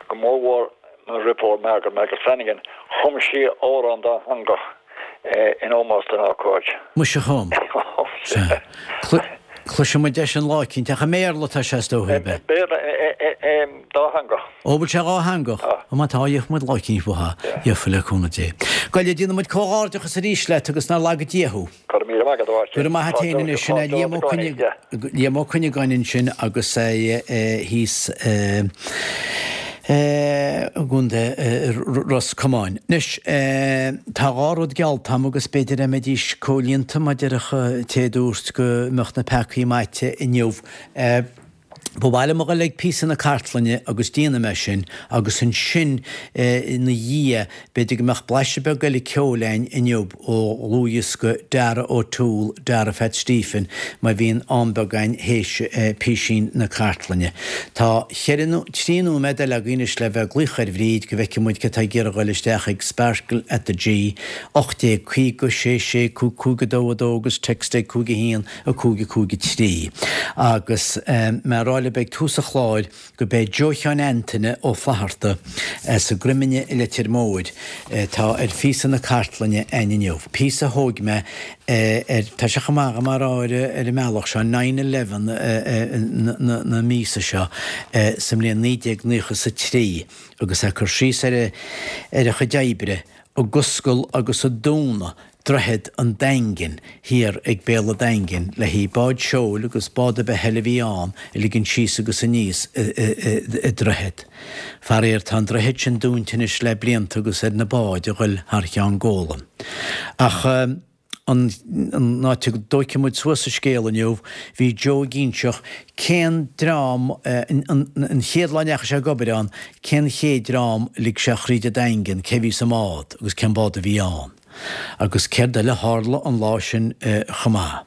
S4: go mórmhór mo dheirfiúr Margaret Margaret Flanagan, chum sí amhrán dátheangach in ómós don ócáid.
S2: Muise chum. Sea. Cloisfidh muid é sin lá eicínt, ach i mBéarla atá sé is dóigh, ab
S4: ea? Béarla, dátheangach.
S2: Ó, bhfuil sé dhátheangach?
S4: Tá.
S2: Ó má tá, gheobhaidh muid lá eicínt uathu. Gheofa le cúnamh Dé. Gabh i leith, déanfaidh muid comhghairdeachas arís leat agus nár laga Dia thú.
S4: Go raibh míle maith agat, a Mháirtín.
S2: Go raibh maith a't fhéin anois. Sin é Liam Ó Liam Ó Cuinneagáin ansin agus é thíos i gContae Ros Comáin. Anois, tá dhá rud geallta a'm agus b'fhéidir a mbeidís comhlíonta mar déarfadh an té a dúirt go mbeadh na peacaí maite inniu. Ba mhaith liom a dhul ag píosa na cartlainne agus déanfaidh mé sin agus ansin ina dhiaidh b'fhéidir go mbeadh blaiseadh beag eile ceoil againn inniu ó dhlúthdhiosca Dara O'Toole, Dara Phat Stephen, má bhíonn am beag againn théis písín na cartlainne. Tá cheithre nó trí nóiméad eile againn anois le bheith ag glaoch ar Bhríd go bhfeicfidh muid cé atá ag iarraidh a dhul isteach ag Sparkle at the G, 1850 6 6 5 5 2 2 agus text ag 5 1 5 5 3. Agus mé a rá libh. fheiceáil ab ag tús an chláir go b'é Joe Sheáin Antaine Ó Flatharta as an gCroiminn i Leitir Móir atá ar phíosa na cartlainne a'inn inniu. Píosa a thóig mé ar, tá sé chomh maith agam a rá ar an mbealach seo, nine eleven na míosa seo sa mbliain 1993 agus é ag cur síos ar a chuid oibre ag oscail agus ag dúnadh Droichead an Daingin thiar ag Béal an Daingin le haghaidh báid seoil agus bád ar bith eile a bhí ann a ligean síos agus aníos an droichead. Faraor tá an droichead sin dúnta anois le blianta agus ar na báid a ghoil thar Cheann Gólan. Ach an áit a dtóigfidh muid suas an scéal inniu, bhí Joe ag inseacht cén dream, an chéad lá a ndeachaigh sé ag obair ann, cén chéad dream a lig sé thríd an Daingean, cé a bhí sa mbád agus cén bád a bhí ann. Agus céard eile a tharla an lá sin chomh maith.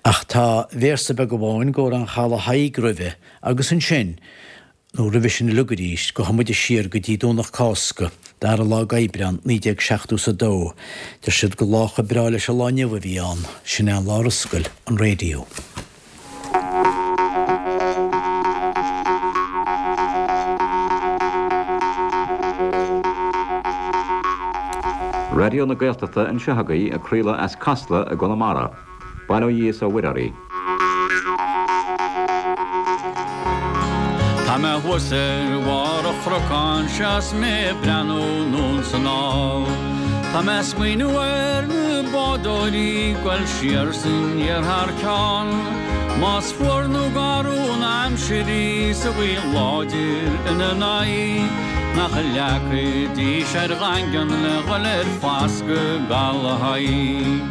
S2: Ach tá véarsa beag amháin d'amhrán Chadhla Thaidhg roimhe, agus ansin, nó roimhe sin uilig arís, gabhfaidh muid siar go dtí Domhnach Cásca, dara lá d'Aibreán, 1970 's a dó. Deir siad gur lá chomh breá leis an lá inniu a bhí ann, sin é an lá ar oscail an raidió.
S5: Raidió na Gaeltachta anseo agaibh ag craoladh as Casla i gConamara. Bail ó Dhia is ó Mhuire oraibh.
S6: Tá mé thuas ar bharr an chnocáin seo 's mé ag breathnú anonn 's anall. Tá mé ag smaoineamh ar na bádóirí ag goil siar 's aniar thar cionn. Más fuar nó garbh an aimsir í 's an ghaoth láidir ina n-aghaidh, nach leagfaidís ar dhaingean le dhul ar foscadh gCaladh Thaidhg.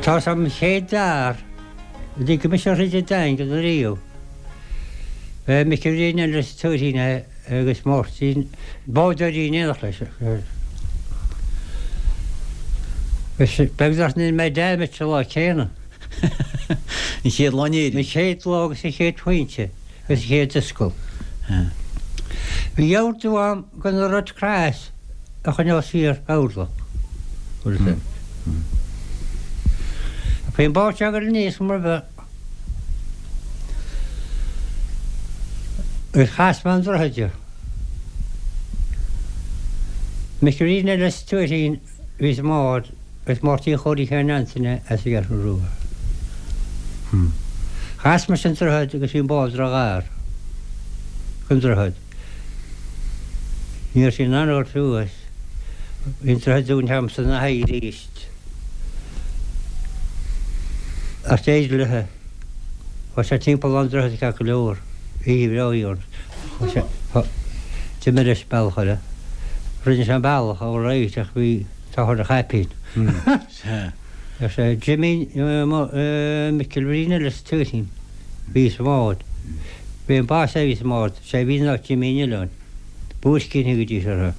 S7: Tá's a'm an chéad fhear a lig mise thríd an Daingean ariamh. B'é Micil Bhriain Ellis Tuairín é agus Máirtín bádóirí in éineacht leis. Beag nach ndein mé damage an lá céanna.
S2: An chéad lá in Éirinn.
S7: An chéad lá agus an chéad phointe agus an chéad oscail. Bhí ordú a'm go na Red Cross a choinneáil siar orlach. Bhí an bád seo ag dul aníos mar bheadh. Agus chas mé an droichead de. Micilín Ellis Tuairín a bhí sa mbád agus Máirtín Chóilí Sheáin Antaine as an gCeathrú Rua. Chas mise an droichead agus bhí an bád ró-ghar don droichead. Ní raibh sí in ann a dhul suas. Bhí an droichead dúnta agamsa ina haghaidh arís. Ach d'éirigh léi. Chuaigh sé timpeall an droichead ceart go leor. Oíche bhreá a bhí ann. Chuaigh sé, d'imigh leis bealach eile. Rinne sé an bealach all right ach bhí t-ádh ar a chaipín. Ar sé, Jimí Micil Bhriain Ellis Tuairín, bhí sa mbád. Bhí an boss a bhí sa mbád, sé a bhí ná Jimí an Oileáin. Buaircín a thugaidís orthu.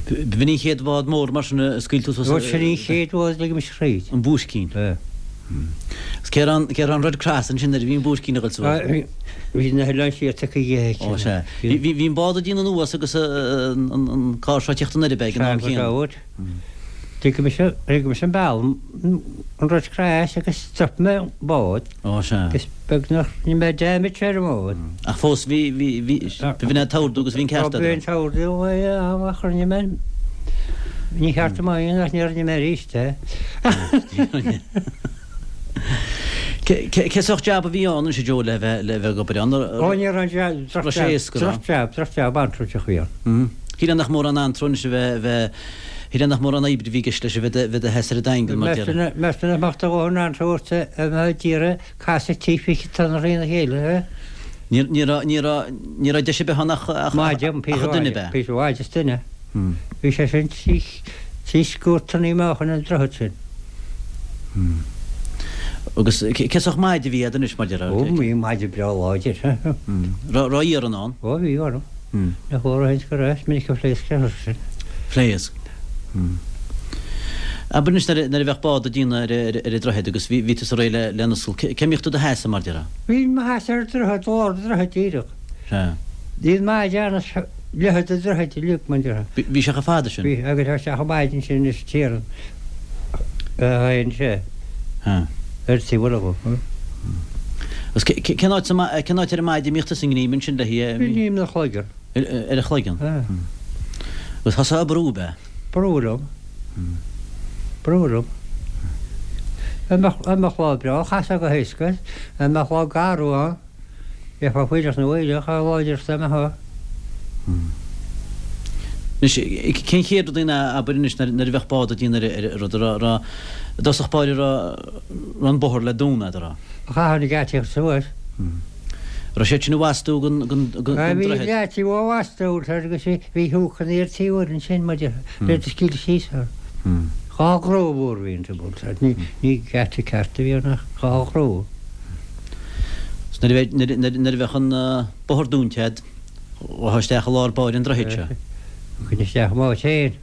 S2: B'in an chéad bhád mór mar sin a scaoil tú suas?
S7: Bhuel, sin an chéad bhád a lig mise thríd.
S2: An Buaircín.
S7: Ea.
S2: Agus cé raibh cé raibh an Red Cross ansin nuair a bhí an Buaircín ag dul suas?
S7: Bhí na hoileáin siar tugtha dhi.
S2: Ó, sea. Bhí an bád ag déanamh anuas agus an carr seo ag tíocht anoir ab ea ag an am chéanna?
S7: Sea, go raibh. Lig mise, lig mise an bealach, an Red Cross agus stop mé an bád.
S2: Ó, sea.
S7: Agus beag nach ndein mé damage ar an mbád.
S2: Ach fós bhí, bhí, bhí, b'in é an t-ordú agus bhí an ceart agat.
S7: Bhí an t-ordú ach rinne mé, ní cheart dom é a dhéanamh ach ní rinne mé arís é.
S2: Cé sórt jab a bhí ann anois a Joe le bheith le bheith ag obair ann?
S7: Ó ní raibh an jab,
S2: Raibh sé éasca,
S7: droch jab, droch jab antró a bhí
S2: ann. Shílfeá nach mórán antró anois a bheith bheith shílfeá nach mórán oibre a bhí i gceist leis a bheith bheith i do sheasamh ar an Daingean mar déarfá.
S7: Meas tú nach mbeadh do dhóthain antró ort a bheith ag iarraidh casadh timpeall tonna thrína chéile, eh?
S2: Ní ní raibh ní raibh ní raibh deis ar bith ann ach ach ach duine ab ea?
S7: Píosa mhaide is duine. Bhí sé sin trí scór tonnaí meáchain an droichead sin.
S2: Agus cé sórt maide a bhí agat anois, mar déarfá?
S7: Ó, bhí maide breá láidir.
S2: Raibh iarann ann?
S7: Ó, bhí orm. Nach bhfuair a shuint go raibh, is minic a phléasc sé sin.
S2: Phléasc. Abair anois nuair a bheadh bád ag déanamh ar an droichead agus bhí tusa réidh lena oscailt, cé mbíodh tú i do sheasamh, mar déarfá?
S7: Bhínn i mo sheasamh ar an droichead, lár an droichid díreach.
S2: Sea.
S7: Bhí an maide ann as leithead an droichid uilig, mar déarfá.
S2: Bhí sé chomh fada sin?
S7: Bhí, agus tá sé chomh maide ansin is tiarann a théann sé ar taobh eile dhó.
S2: Agus cén áit cén áit ar an maide a mbíodh tusa i nGrím ansin le hí?
S7: Bhí Greim na chloigeann.
S2: Ar a chloigeann? Agus thosaigh ag brú, ab ea?
S7: Brú liom. Brú liom. Dá mbeadh lá breá, chasfá go héasca. Dá mbeadh lá garbh ann, bheifeá fuílleach na bhfuílleach, a láidreacht dá mbeifeá.
S2: Anois, cén chéad rud a abair anois nuair a bheadh bád ag déanamh ar an rud, a raibh, i dtosach báire, a raibh an bóthar le dúnadh, a raibh?
S7: Chaithfeá na geataí a chur suas.
S2: Raibh siad sin i bhfastú den
S7: droichead? Bhí geataí á bhfastú agus bhí húcanna ar taobh uair ansin maidir le do scaoileadh síos orthu. Dhá ghrua mhór a bhí iontu, ní geata ceart a bhí ann ach dhá ghrua.
S2: Nuair a bheadh an bóthar dúnta agat, Ghabhfá isteach i lár báire an droichid seo.
S7: Chuaigh isteach i m'áit féin.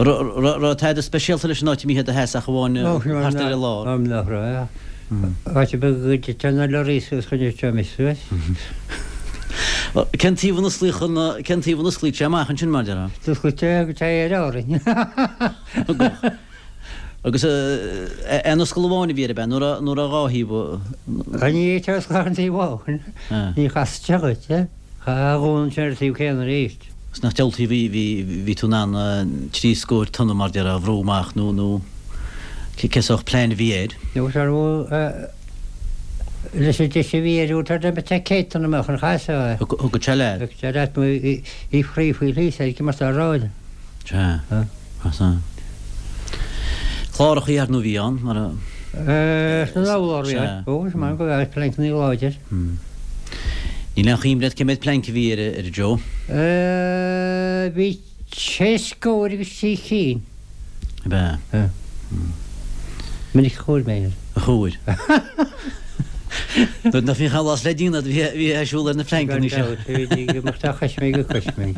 S2: Raibh tada speisialta leis an áit a mbítheá i do sheasamh ach amháin thart ar an lár.
S7: Nach raibh. Áit ar bith go dtiteadh na lorraí suas chun an tseomra suas.
S2: Cén taobh a n-osclaíodh an, cén taobh a n-osclaíodh sé amach ansin mar déarfá?
S7: D'osclaíodh sé go téigh ar Árainn.
S2: Agus aon oscail amháin a bhí air ab ea, nó raibh dhá thaobh?
S7: Ní fhéadfá oscailt ach an taobh amháin. Ní chasfadh sé dhuit é. Chaithfeá a dhúnadh ansin ar an taobh céanna arís.
S2: Agus nach diabhaltaí bhí, bhí, bhí tú in ann trí scóir tonna mar déarfá a bhrú amach nó, nó cé sórt plean a bhí air?
S7: Nó sar leis an deis a bhí air úd tar dá mbeadh sé 100 tonna amach an chaithfeá é.
S2: Thugadh sé leat.
S7: Thugadh sé leat nó í free faoi thíos air mar tá ráille.
S2: Sea. Sea. Clárachaí ar ndóigh a bhí ann, mar a.
S7: Sna lár bhí ann. Ó, is maith go raibh pleainceanna láidir.
S2: Níl aon chuimhne agat cé mhéad pleainc a bhí ar a Joe?
S7: Bhí sé scór agus trí chinn.
S2: Ab ea?
S7: Sea. Minic a chuaigh mé air.
S2: A chuaigh. Nuair nach mbíodh aon lá le déanamh bhí bhí ag siúl ar na pleainceanna
S7: seo. Gan dabht, bhí go mbeadh dá chois mé go cois mé.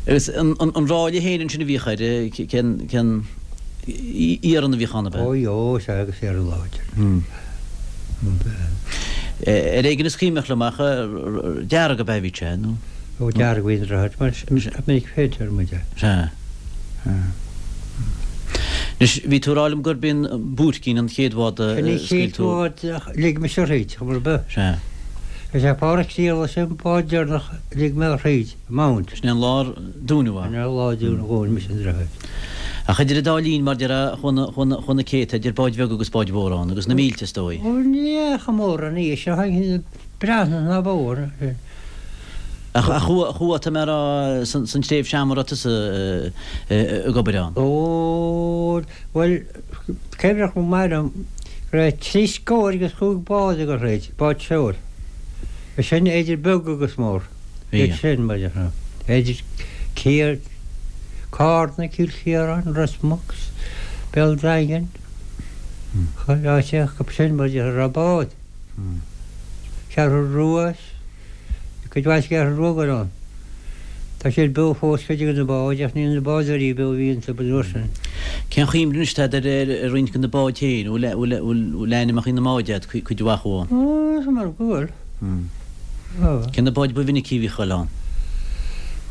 S2: Agus an ráille féin ansin a bhíodh air, cén cén iarann a bhíodh ann ab
S7: ea? Ó ó sea agus iarann láidir.
S2: Ar éigean is cuimhneach liom ach dearg ab ea a bhí sé nó?
S7: Ó dearg a bhí an droichead mar minic féintear muid é.
S2: Sea. Anois, bhí tú ag rá liom gurb í an Buaircín an chéad bhád a
S7: Sin an
S2: scaoil
S7: chéad
S2: tú.
S7: bhád a lig mise thríd, chuma ar bith.
S2: Sea.
S7: Is é Pádraic Séarlas an bád deireanach a lig mé thríd, an Mount.
S2: Sin é an lá ar dúnadh é.
S7: Sin é an lá a dhún mise an droichead.
S2: Ach idir an dá linn, mar déarfá, chuaigh na céadta idir báid bheaga agus báid mhóra ann, agus na mílte, is dóigh.
S7: Ó, ní fhéach mórán í, seo an Breathnach ná bóthar.
S2: Ach chuaigh, tá mé a rá, san tréimhse ama a raibh tusa ag obair ann?
S7: Ó, bhuel, cuimhneach go maith liom go raibh trí scór agus chúig bád ag dul thríd, báid seoil. Sin idir beag agus mór.
S2: Bhí.
S7: Iad sin, mar dhea. Idir Cill, Carna, Cill Chiaráin, Ros Muc, Béal Daingean, chuile áit acu sin, mar dhea, a raibh bád. Ceathrú Rua, Cuid mhaith sa gCeathrú Rua go raibh ann. Tá siad beo fós, cuid de na báid, ach níl na bádóirí beo a bhí iontu an uair sin.
S2: Cén chuimhne anois atá agat ar roinnt de na báid féin? Bhfuil ainmneacha na mbád agat, cuid mhaith acu
S7: ann? Ó, is mar go bhfuil.
S2: Cé na báid ba mhinicí a bhíodh ag dul ann?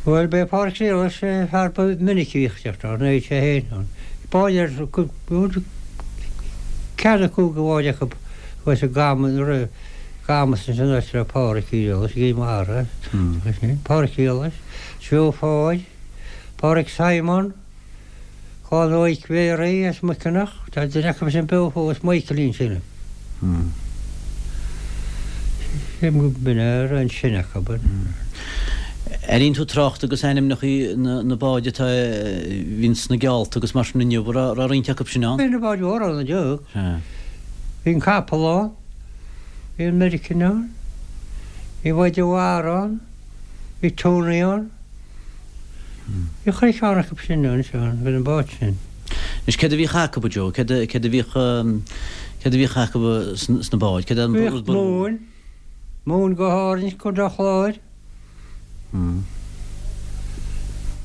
S7: Bhuel, b'é Pádraic Séarlas an fear ba mhinicí a bhíodh ag teacht ann, nó sé féin ann. Báid ar ceathair nó cúig de bháid acu Thuas i gCamas, Camas ansin áit a raibh Pádraic Séarlas, i gCill Mara, Pádraic Séarlas, Joe Pháid, Pádraic Simon, Clann Mhaidhc Mhéaraí as Muiceanach, tá duine acu sin beo fós, Michaelín sílim. Sílim go b'in é an sine acu.
S2: Airíonn tú trácht agus ainmneacha na báid atá a bhíonn sna geallta agus mar sin inniu, raibh roinnt acu sin ann?
S7: Bhí na báid mhóra ann inniu. Bhí an capall ann, bhí an Meiricean ann, bhí an mhaide mhara ann, bhí Tony ann. Bhí chuile cheann acu sin ann, Seán, bhí na báid sin.
S2: Anois céard a bhíodh acu, a Joe? Céard a, céard a bhíodh, céard a bhíodh acu sna báid? Céard an
S7: rud ba. Bhíodh móin, móin go hÁrainn, Contae an Chláir.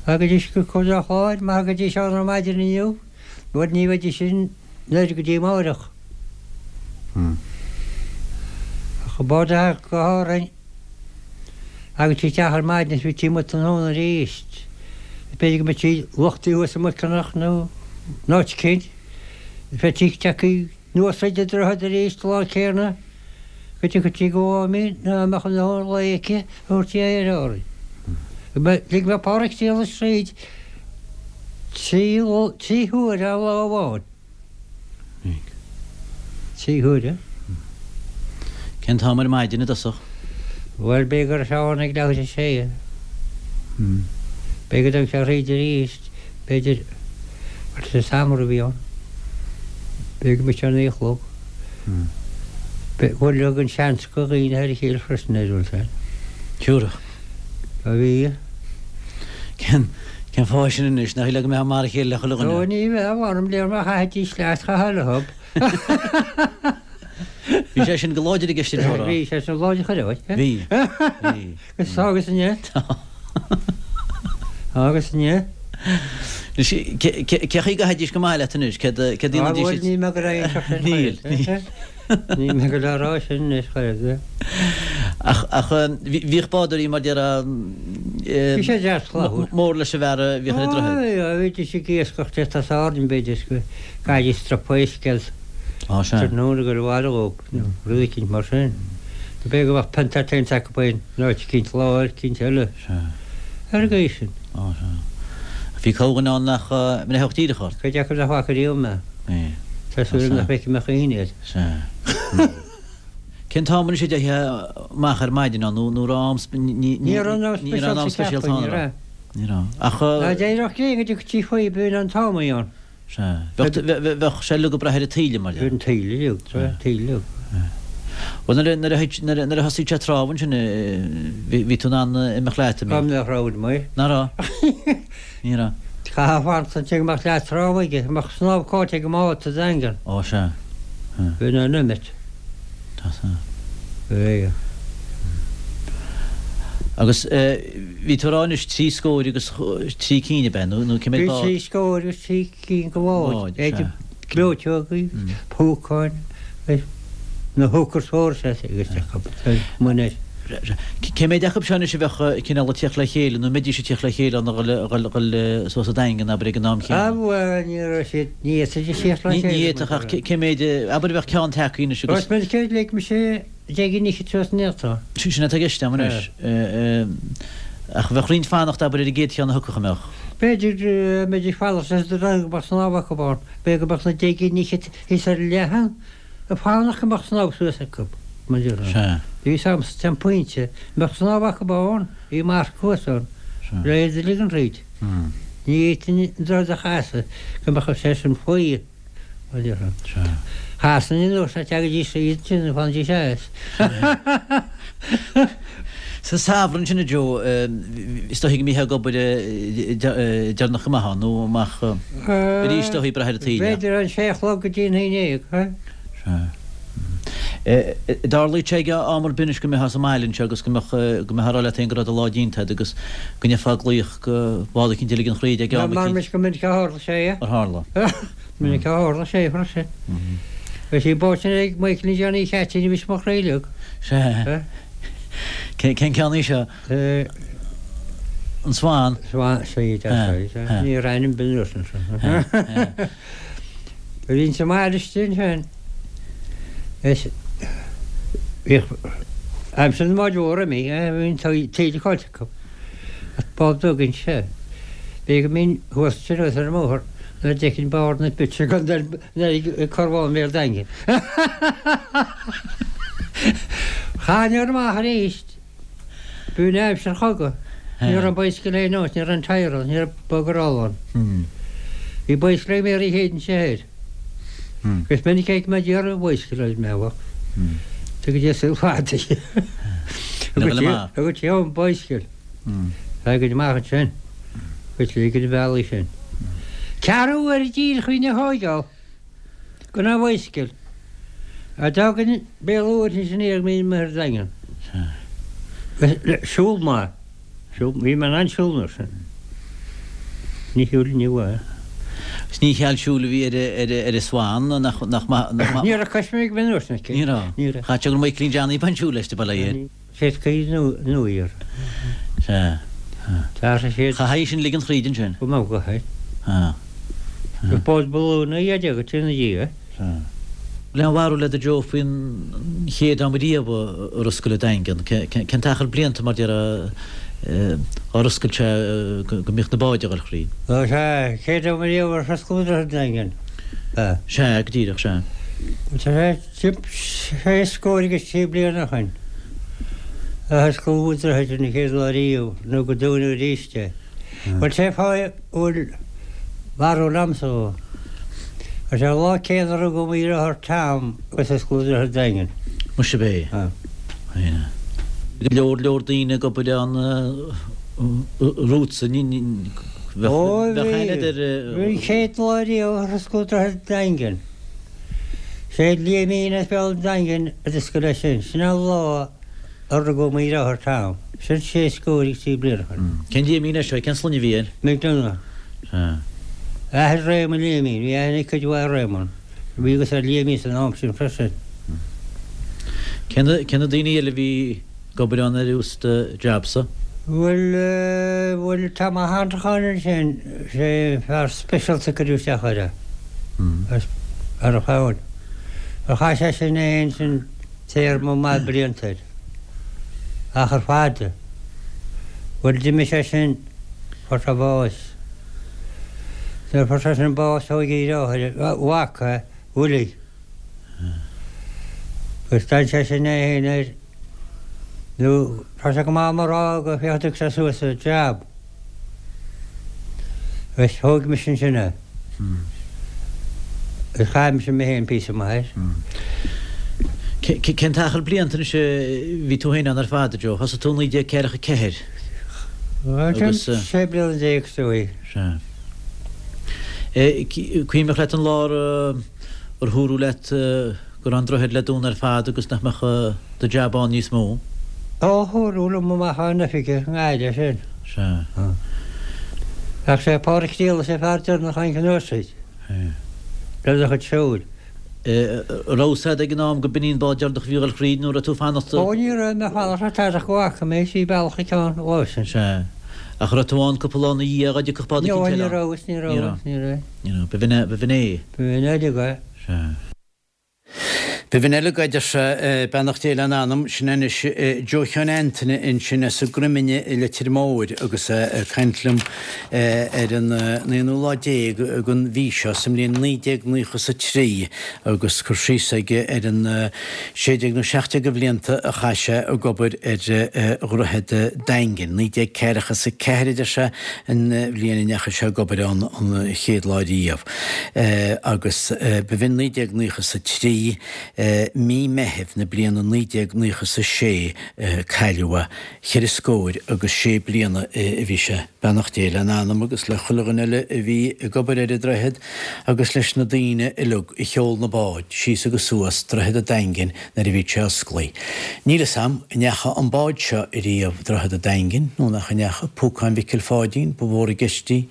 S7: Thagaidís go Contae an Chláir, má thagaidís ann ar maidin inniu, bhuel ní bheidís in Doire go dtí amáireach. Ach an bád a thagadh go hÁrainn, thagadh sí isteach ar maidin is bhí sí amuigh tráthnóna arís. B'fhéidir go mbeadh sí luchtaithe thuas i Muiceanach nó in áit eicínt, bheadh sí tagtha. Anuas thríd an droichead arís an lá céanna go dtiocfadh sí go Mháimín ná mbeadh a ndóthain lae aici a thabhairt di aer Árainn. Lig mé Páraic Séarlas tríd trí huaire lá amháin. 3 huaire.
S2: Cén t-am ar maidin i dtosach?
S7: Bhuel, b'fhéidir go raibh sé ann ag leathuair tar éis a sé. B'fhéidir go dtagadh sé thríd arís, b'fhéidir, bhuel, sa samhradh a bhí ann. B'fhéidir go mbeadh sé a naoi a chlog. Bhuel, thug an seans go dhaoine thar a chéile freisin ar bhfuil sé.
S2: Sure.
S7: A bhí.
S2: Cén cén fáth sin anois? Nach le go mbeifeá mar a chéile le chuile dhuine?
S7: Ó ní bheadh, mh'anam léir má chaithfidís leat, chaithfeá leo.
S2: Bhí sé sin go láidir i gceist an tseomra.
S7: Bhí sé sin láidir chuile áit.
S2: Bhí. Bhí.
S7: Agus tá agus inniu.
S2: Tá.
S7: Tá agus inniu.
S2: Anois, cé chaoi a gcaithfidís go maith leat anois? Céard a dhéanfaidís?
S7: Á bhuel, níl mé ag rá aon sin.
S2: Níl. Níl.
S7: Níl mé ag dul a rá sin anois, chor ar bith.
S2: Ach, ach, bhíodh bádóirí mar déarfá,
S7: Bhí sé deas clabhúr.
S2: mór leis an bhfear a bhíodh ar an droichead.
S7: Á, bhídís ag iascach de as Árainn, b'fhéidir, is go gcaithfidís stropa uisce as
S2: Á, sea.
S7: tráthnóna go raibh aire dhóibh, nó rud eicínt mar sin. B'fhéidir go mbeadh pionta teint acu in áit eicínt lá, áit eicínt eile.
S2: Sea.
S7: Ar an gcaoi sin.
S2: Á, sea. Bhí corrdhuine ann nach mbreithfeadh díreach ort.
S7: Cuid acu nach bhfaca riamh mé. Tá súil agam nach bhfeicfidh mé choíche iad.
S2: Sea. Cén t-am anois a dteifeá amach ar maidin ann nó raibh am
S7: ní
S2: Ní raibh am speisialta ann, ní raibh. Ní raibh. Ach.
S7: Ná d'éireodh gréin go dtiocfadh sí faoi b'in an t-am a bhí ann.
S2: Sea. Bheadh bheadh sé uilig ag brath ar an taoille mar
S7: Ar an taoille uilig, an taoille uilig.
S2: Bhuel nuair a nuair a nuair a nuair a thosaigh sé ag trámh ansin bhí bhí tú in ann imeacht leat, an
S7: Cá mbeadh rogha amuigh?
S2: Ná raibh? Ní raibh.
S7: Chaithfeá fanacht ansin go mbeadh leath trámh aige, go mbeadh snámh caillte ag an mbád sa Daingean.
S2: Ó sea.
S7: Bhí an imeacht.
S2: Tá sea.
S7: Bhí.
S2: Agus bhí tú ag rá anois 3 scóir agus 3 cinn ab ea nó nó cé mhéad
S7: bád? Bhí 3 scóir agus 3 cinn de bháid. Báid, sea. Gleoiteogaí, púcáin, na hookers mhóra agus muineál.
S2: Cé mhéad acu seo anois a bheadh cineál ag tíocht le chéile nó an mbeidís ag tíocht le chéile ag dhul suas an Daingean abair ag an am
S7: céanna? Bhuel ní raibh siad, ní fhéadfaidís tíocht le chéile.
S2: Ní fhéadfadh ach cé mhéad, abair a bheadh ceann tagtha anois agus.
S7: Is minic a lig mise deich gcinn fhichead suas an fhéadfá.
S2: Sin atá i gceist agam anois. Ach bheadh roinnt fanacht abair ar an gcéad cheann a thiocfadh an mbeadh?
S7: B'fhéidir go mbeidís fanacht leis an go mbeadh snámh acu ann. B'fhéidir go mbeadh na deich gcinn fhichead thíos ar an leathán. Ag fanacht go mbeadh snámh suas acu, mar déarfá.
S2: Sea.
S7: Bhí fhios a'msa an pointe mbeadh snámh acu ann, bhí marc thuas ann,
S2: Sea.
S7: le iad a ligean thríd. Ní fhéadfainn an droichead a chasadh go mbeadh sé sin faoi, mar déarfá.
S2: Sea.
S7: Chasainn anuas ná teagaidís thríd ansin, fanaidís as.
S2: Sa samhradh ansin a Joe, is dóichí go mbítheá ag obair deireanach go maith ann, nó amach arís is dóichí ag brath ar an taoille.
S7: B'fhéidir an sé a chlog go dtí an haon dhéag, ha?
S2: Sea. Dtarlaíodh sé ag am ar bith anois go mbeifeá sa mbaile anseo agus go mbeadh, go mbeifeá ag rá leat féin go raibh do lá déanta agat agus go ndéarfá glaoch go bád eicínt a ligean thríd ag am
S7: eicínt. Mar go minic a tharla sé,
S2: Ar tharla?
S7: Minic a tharla sé freisin. Bhí sí báite ag Michael Johnny Cheaitín a bhí mo chroí uilig.
S2: Sea. Cén ceann í seo? An Swan?
S7: Swan, sea, sea, sea. Ní raibh ainm bin uirthi ansin. Bhí insa mbaile istigh ansin. Is bhíodh aimsir na mbád mhór imithe, bhí an taoille caillte acu. Ach bád beag ansin. B'fhéidir go mbínn thuas ansin thuas ar an mbóthar nuair a d'fheicfinn barr na bpitse gan ag carbhán Bhéal Daingin. Chaithfinn a dhul amach arís. B'in aimsir an chogaidh. Ní raibh bicycle aon áit, ní raibh an tyre ann, ní raibh bugger all ann. Bhí bicycle ag Mary Hayden sa thoir. Agus minic a fheic mé d'iarraidh bicycle ar mbealach. Tugadh Dia saol fada di. Thug sí an bicycle. Tagaid amach ansin. Agus ligid an bhealaigh sin. Ceathrú uaire díreach a bhínn a thóigeáil gan an bicycle. A d'fhágainn Béal Mhuirthead ansin iarraidh go mbínn amuigh ar an Daingean. Siúl maith. Siúl, bhí mé in ann siúl nuair sin. Ní shiúil inniu é.
S2: Is ní cheal siúil a bhí ar ar ar an Swan nach nach maith nach maith.
S7: Ní raibh coisméig ag an uair sin aici.
S2: Ní raibh.
S7: Ní raibh.
S2: Chaith sé gur Michaelín Johnny ba an siúl leis de bail ó Dhia air.
S7: Féadfaidh nó iar.
S2: Sea.
S7: D'athraigh siad.
S2: Chaithfí sin ligean thríd ansin.
S7: Go mbeadh go hé.
S2: Sea.
S7: Gur bád ba lú ná iad agat ina dhiaidh.
S2: Sea.
S8: Bhfuil aon bharúil agat a Joe faoin chéad am riamh ar oscail an Daingean? Cén t-achar blianta mar déarfá ar oscail sé go mbíodh na báid ag dul thríd?
S7: Ó sea, chéad am riamh ar oscail an Daingean.
S8: Sea, go díreach, sea.
S7: Tá sé sé scór agus trí bliana ó shin a osclaíodh an droichead an chéad lá riamh nó gur dúnadh arís é. Bhuel, sé fáth a bhfuil barúil a'msa dhó. Is é an lá céanna a rugadh mo dheartháir Tom agus osclaíodh Droichead an Daingin.
S8: Muise ab é. Go leor leor daoine ag obair ann romhatsa, ní bheadh
S7: Ó bhí, bhí an chéad lá riamh ar osclaíodh Droichead an Daingin. Sé Liaimín as Béal an Daingin a d'oscail é sin. Sin an lá a rugadh mo dheartháir Tom. Sin sé scór agus trí bliana ó shin.
S8: Cén Liaimín é seo? Cén sloinne a bhí air?
S7: McDonagh.
S8: Sea.
S7: Athair Réamonn Liaimín. Bhí aithne ag cuid mhaith ar Réamonn. Bhí a fhios ar Liaimín san am sin freisin.
S8: Cé na daoine eile a bhí ag obair ann ar thús do jab-sa?
S7: Bhuel, bhuel, Tom Ó hAntracháin ansin, sé an fear speisialta a cuireadh isteach air é. Ar an chabhail. Chaith sé sin é fhéin sin téarma maith blianta air. Achar fada. Bhuel, d'imigh sé sin, fuair sé bás. Nuair a fuair sé sin bás, thóg a dheartháir, a mhac é, Willie. Agus d'fhan sé sin é fhéin air. Nó, tá sé go maith agam a rá go féach a dtug sé suas an jab. Agus thóg mise ansin é. Agus chaith mise mé féin píosa maith air.
S8: Cén t-achar blianta anois a bhí tú féin ann ar fad, a Joe? Thosaigh tú i 1944
S7: agus. 16 bliana is dóigh.
S8: Sea. Cuimhneach leat an lá ar húradh leat go raibh an droichead le dúnadh ar fad agus nach mbeadh do jab ann níos mó?
S7: Ó, húradh liom amach ón oifig i nGaillimh sin.
S8: Sea.
S7: Ach sé Pádraic Diolais an fear deireanach a tháinig anuas tríd. Lena chuid siúil.
S8: Raibh fhios a'd ag an am go b'in í an bád deireanach a bhí ag dul thríd nó raibh tú fanacht?
S7: Ó, ní raibh mé fanacht le tada ach go bhfaca mé sí bealach an ceann lá
S8: sin. Sea. Ach raibh tú ann cúpla lá ina dhiaidh dá dtiocfadh bád
S7: eicínt eile ann? Ní raibh, ní raibh, ní raibh.
S8: Ní raibh. B'in é, b'in é.
S7: B'in uilig é.
S8: Sea.
S2: B'in uilig é, a deir sé, beannacht Dé lena anam, sin anois Joe Sheáin Antaine ansin as an gCroiminn i Leitir Móir agus é ag caint liom ar an aonú lá déag den mhí seo sa mbliain 1993 agus cur síos aige ar an 16 nó 17 de bhlianta a chaith sé ag obair ar Dhroichead an Daingin. 1944 a deir sé an bhliain a ndeachaigh sé ag obair ann an chéad lá riamh agus b'in 1993, mí Meithimh na bliana 1996 a cailleadh é. Cheithre scóir agus sé bliana a bhí sé. Beannacht Dé lena anam agus le chuile dhuine eile a bhí ag obair ar an droichead agus leis na daoine uilig a sheol na báid síos agus suas Droichead an Daingin nuair a bhí sé osclaithe. Níl fhios a'm an ndeacha an bád seo ariamh Droichead a' Daingin nó nach ndeacha, Púcán Mhicil Pháidín ba mhór i gceist í.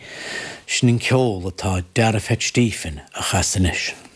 S2: Sin an ceol atá Dara Pheait Stephen a chasadh anois.